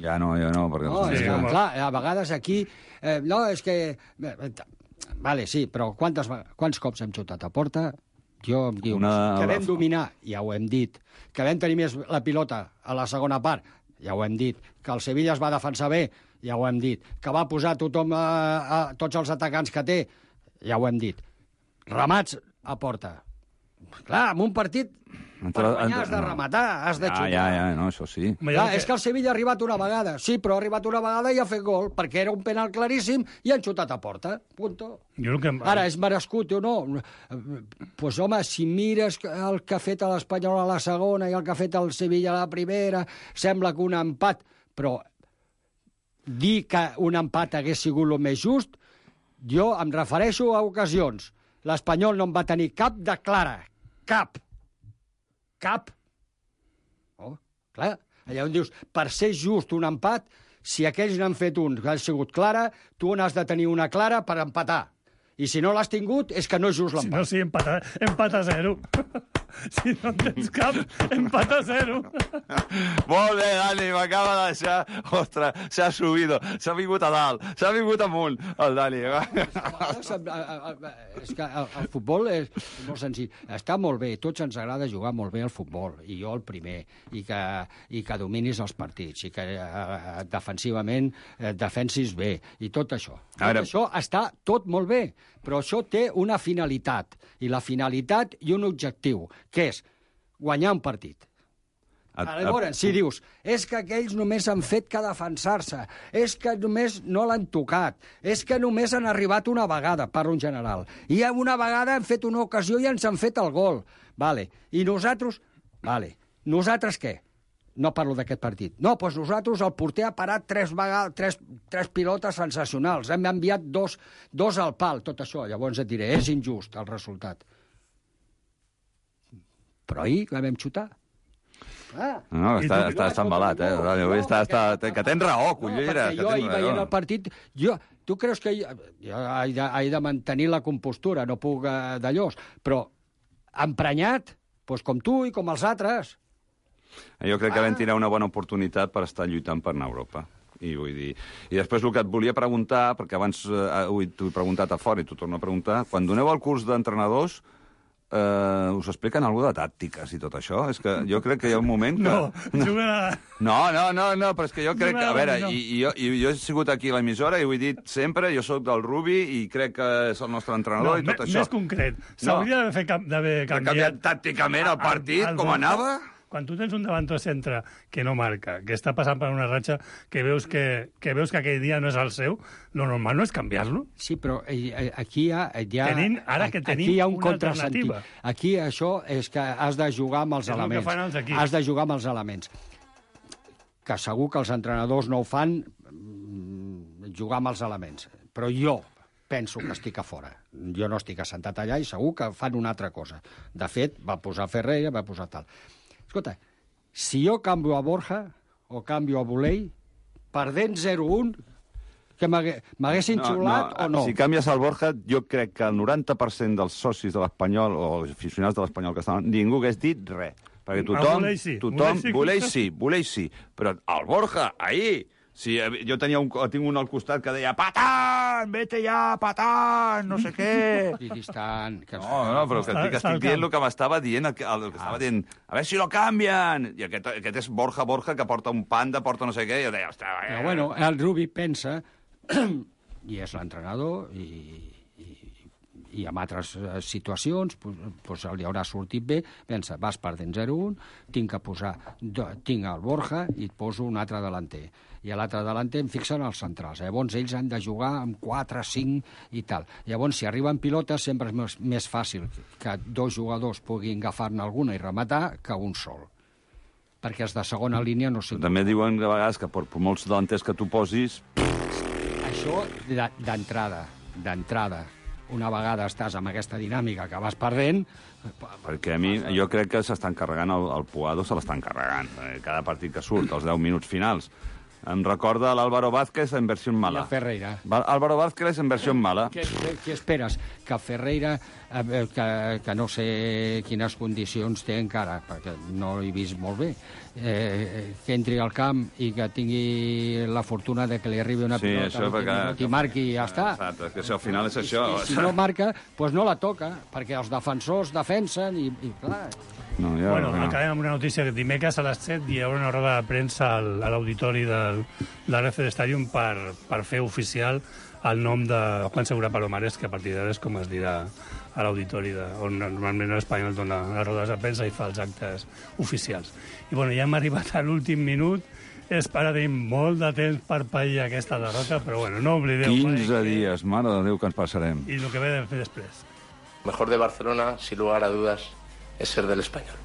Ja no, ja no, perquè... No, és que, clar, a vegades aquí... Eh, no, és que... Vale, sí, però quantes, quants cops hem xutat a porta? Jo em diu Una... que vam dominar, ja ho hem dit, que vam tenir més la pilota a la segona part, ja ho hem dit, que el Sevilla es va defensar bé, ja ho hem dit, que va posar tothom a, a tots els atacants que té, ja ho hem dit. Remats a porta. Clar, en un partit, per guanyar has de rematar, has de xutar. Ja, ja, ja, no, això sí. Clar, és que el Sevilla ha arribat una vegada. Sí, però ha arribat una vegada i ha fet gol, perquè era un penal claríssim i han xutat a porta. Punto. Jo que... Ara, és merescut o no? Pues, home, si mires el que ha fet l'Espanyol a la segona i el que ha fet el Sevilla a la primera, sembla que un empat, però dir que un empat hagués sigut el més just, jo em refereixo a ocasions. L'Espanyol no en va tenir cap de clara. Cap. Cap. Oh, clar. Allà on dius, per ser just un empat, si aquells n'han fet un que ha sigut clara, tu n'has de tenir una clara per empatar. I si no l'has tingut, és que no és just l'empat. Si no, sí, empat a, empat a zero. Si no en tens cap, empat a zero. Molt bé, Dani, m'acaba de deixar... Ostres, s'ha subido, s'ha vingut a dalt, s'ha vingut amunt, el Dani. És que el, el futbol és molt senzill. Està molt bé, tots ens agrada jugar molt bé al futbol, i jo el primer, i que, i que dominis els partits, i que eh, defensivament eh, defensis bé, i tot això. Tot Ara... això està tot molt bé, però això té una finalitat, i la finalitat i un objectiu, que és guanyar un partit. A, a... Llavors, si dius, és que aquells només han fet que defensar-se, és que només no l'han tocat, és que només han arribat una vegada, parlo en general, i una vegada han fet una ocasió i ens han fet el gol. Vale. I nosaltres... Vale. Nosaltres què? No parlo d'aquest partit. No, doncs nosaltres, el porter ha parat tres, vegades, tres, tres pilotes sensacionals. Hem enviat dos, dos al pal, tot això. Llavors et diré, és injust el resultat. Però ahir la vam xutar. Ah. No, està, està, està embalat, eh? No, no, està, està, que tens raó, collera. No, jo ahir veient el partit... Jo, tu creus que jo, jo he, de, he de mantenir la compostura, no puc eh, d'allò, però emprenyat, doncs com tu i com els altres. Jo crec que vam tirar una bona oportunitat per estar lluitant per anar a Europa. I vull dir... I després el que et volia preguntar, perquè abans eh, t'ho he preguntat a fora i t'ho torno a preguntar, quan doneu el curs d'entrenadors, eh, us expliquen alguna de tàctiques i tot això? És que jo crec que hi ha un moment que... No, juguen a... No, no, no, no, però és que jo crec que... A veure, i, i, jo, i jo he sigut aquí a l'emissora i ho he dit sempre, jo sóc del Rubi i crec que és el nostre entrenador no, i tot me, això. Més concret, s'hauria no. d'haver canviat... canviat tàcticament el partit, el, el com anava... Quan tu tens un davanter centre que no marca, que està passant per una ratxa, que veus que, que veus que aquell dia no és el seu, lo normal no és canviar-lo. Sí, però eh, aquí hi ha... Hi ha tenim, ara que tenim aquí hi ha un una contrasentit. alternativa. Aquí això és que has de jugar amb els és elements. El que fan els equips. Has de jugar amb els elements. Que segur que els entrenadors no ho fan jugar amb els elements. Però jo penso que estic a fora. Jo no estic assentat allà i segur que fan una altra cosa. De fet, va posar Ferrer, va posar tal... Escolta, si jo canvio a Borja o canvio a Volei, perdent zero un, que m'haguessin xulat no, o no? Si canvies el Borja, jo crec que el noranta per cent dels socis de l'Espanyol o els aficionats de l'Espanyol que estaven, ningú hagués dit res. Perquè tothom... Volei sí. tothom Volei sí. Volei sí, Volei sí. Però el Borja, ahir... Sí, jo tenia un, tinc un al costat que deia Patán, vete ja, Patán, no sé què. I distant. Que... No, no, però que estic, estic dient el que m'estava dient, el que, el que estava dient, a veure si lo canvien. I aquest, aquest és Borja Borja, que porta un panda, porta no sé què, i jo deia, ostres... Eh. Però bueno, el Rubi pensa, i és l'entrenador, i, i, i en altres situacions pues, pues li haurà sortit bé, pensa, vas perdent zero un, tinc que posar, tinc el Borja i et poso un altre delanter. I a l'altre delanter em fixen els centrals. Llavors ells han de jugar amb quatre, cinc i tal. Llavors, si arriben pilotes, sempre és més, més fàcil que dos jugadors puguin agafar-ne alguna i rematar que un sol. Perquè els de segona línia no sé... També diuen de vegades que per, per molts delanters que tu posis... Això d'entrada, d'entrada. Una vegada estàs amb aquesta dinàmica que vas perdent... Perquè a mi, jo crec que s'estan carregant, el, el Puado se l'estan carregant. Cada partit que surt, els deu minuts finals. Em recorda l'Álvaro Vázquez en versió mala. I el Ferreira. Álvaro Vázquez en versió mala. Què, què, què esperes? Que Ferreira, eh, que, que no sé quines condicions té encara, perquè no l'he vist molt bé, eh, que entri al camp i que tingui la fortuna de que li arribi una sí, pilota perquè... i marqui i ja està. Exacte, que si al final és això. I, i si no marca, doncs no la toca, perquè els defensors defensen i, i clar... No, ja, bueno, no. Acabem amb una notícia que dimecres a les set hi haurà una roda de premsa al, a l'auditori del, de l'R F D Stadium per, per fer oficial el nom de Juan Segura Palomares, que a partir d'ara és com es dirà a l'auditori, on normalment l'Espanyol dona les rodes de premsa i fa els actes oficials. I bueno, ja hem arribat a l'últim minut, és per a tenir molt de temps per pair aquesta derrota, però bueno, no oblideu quinze mai dies, que... mare de Déu, que ens passarem. I el que ve de fer després. Mejor de Barcelona, sin lugar a dudas, es ser del Español.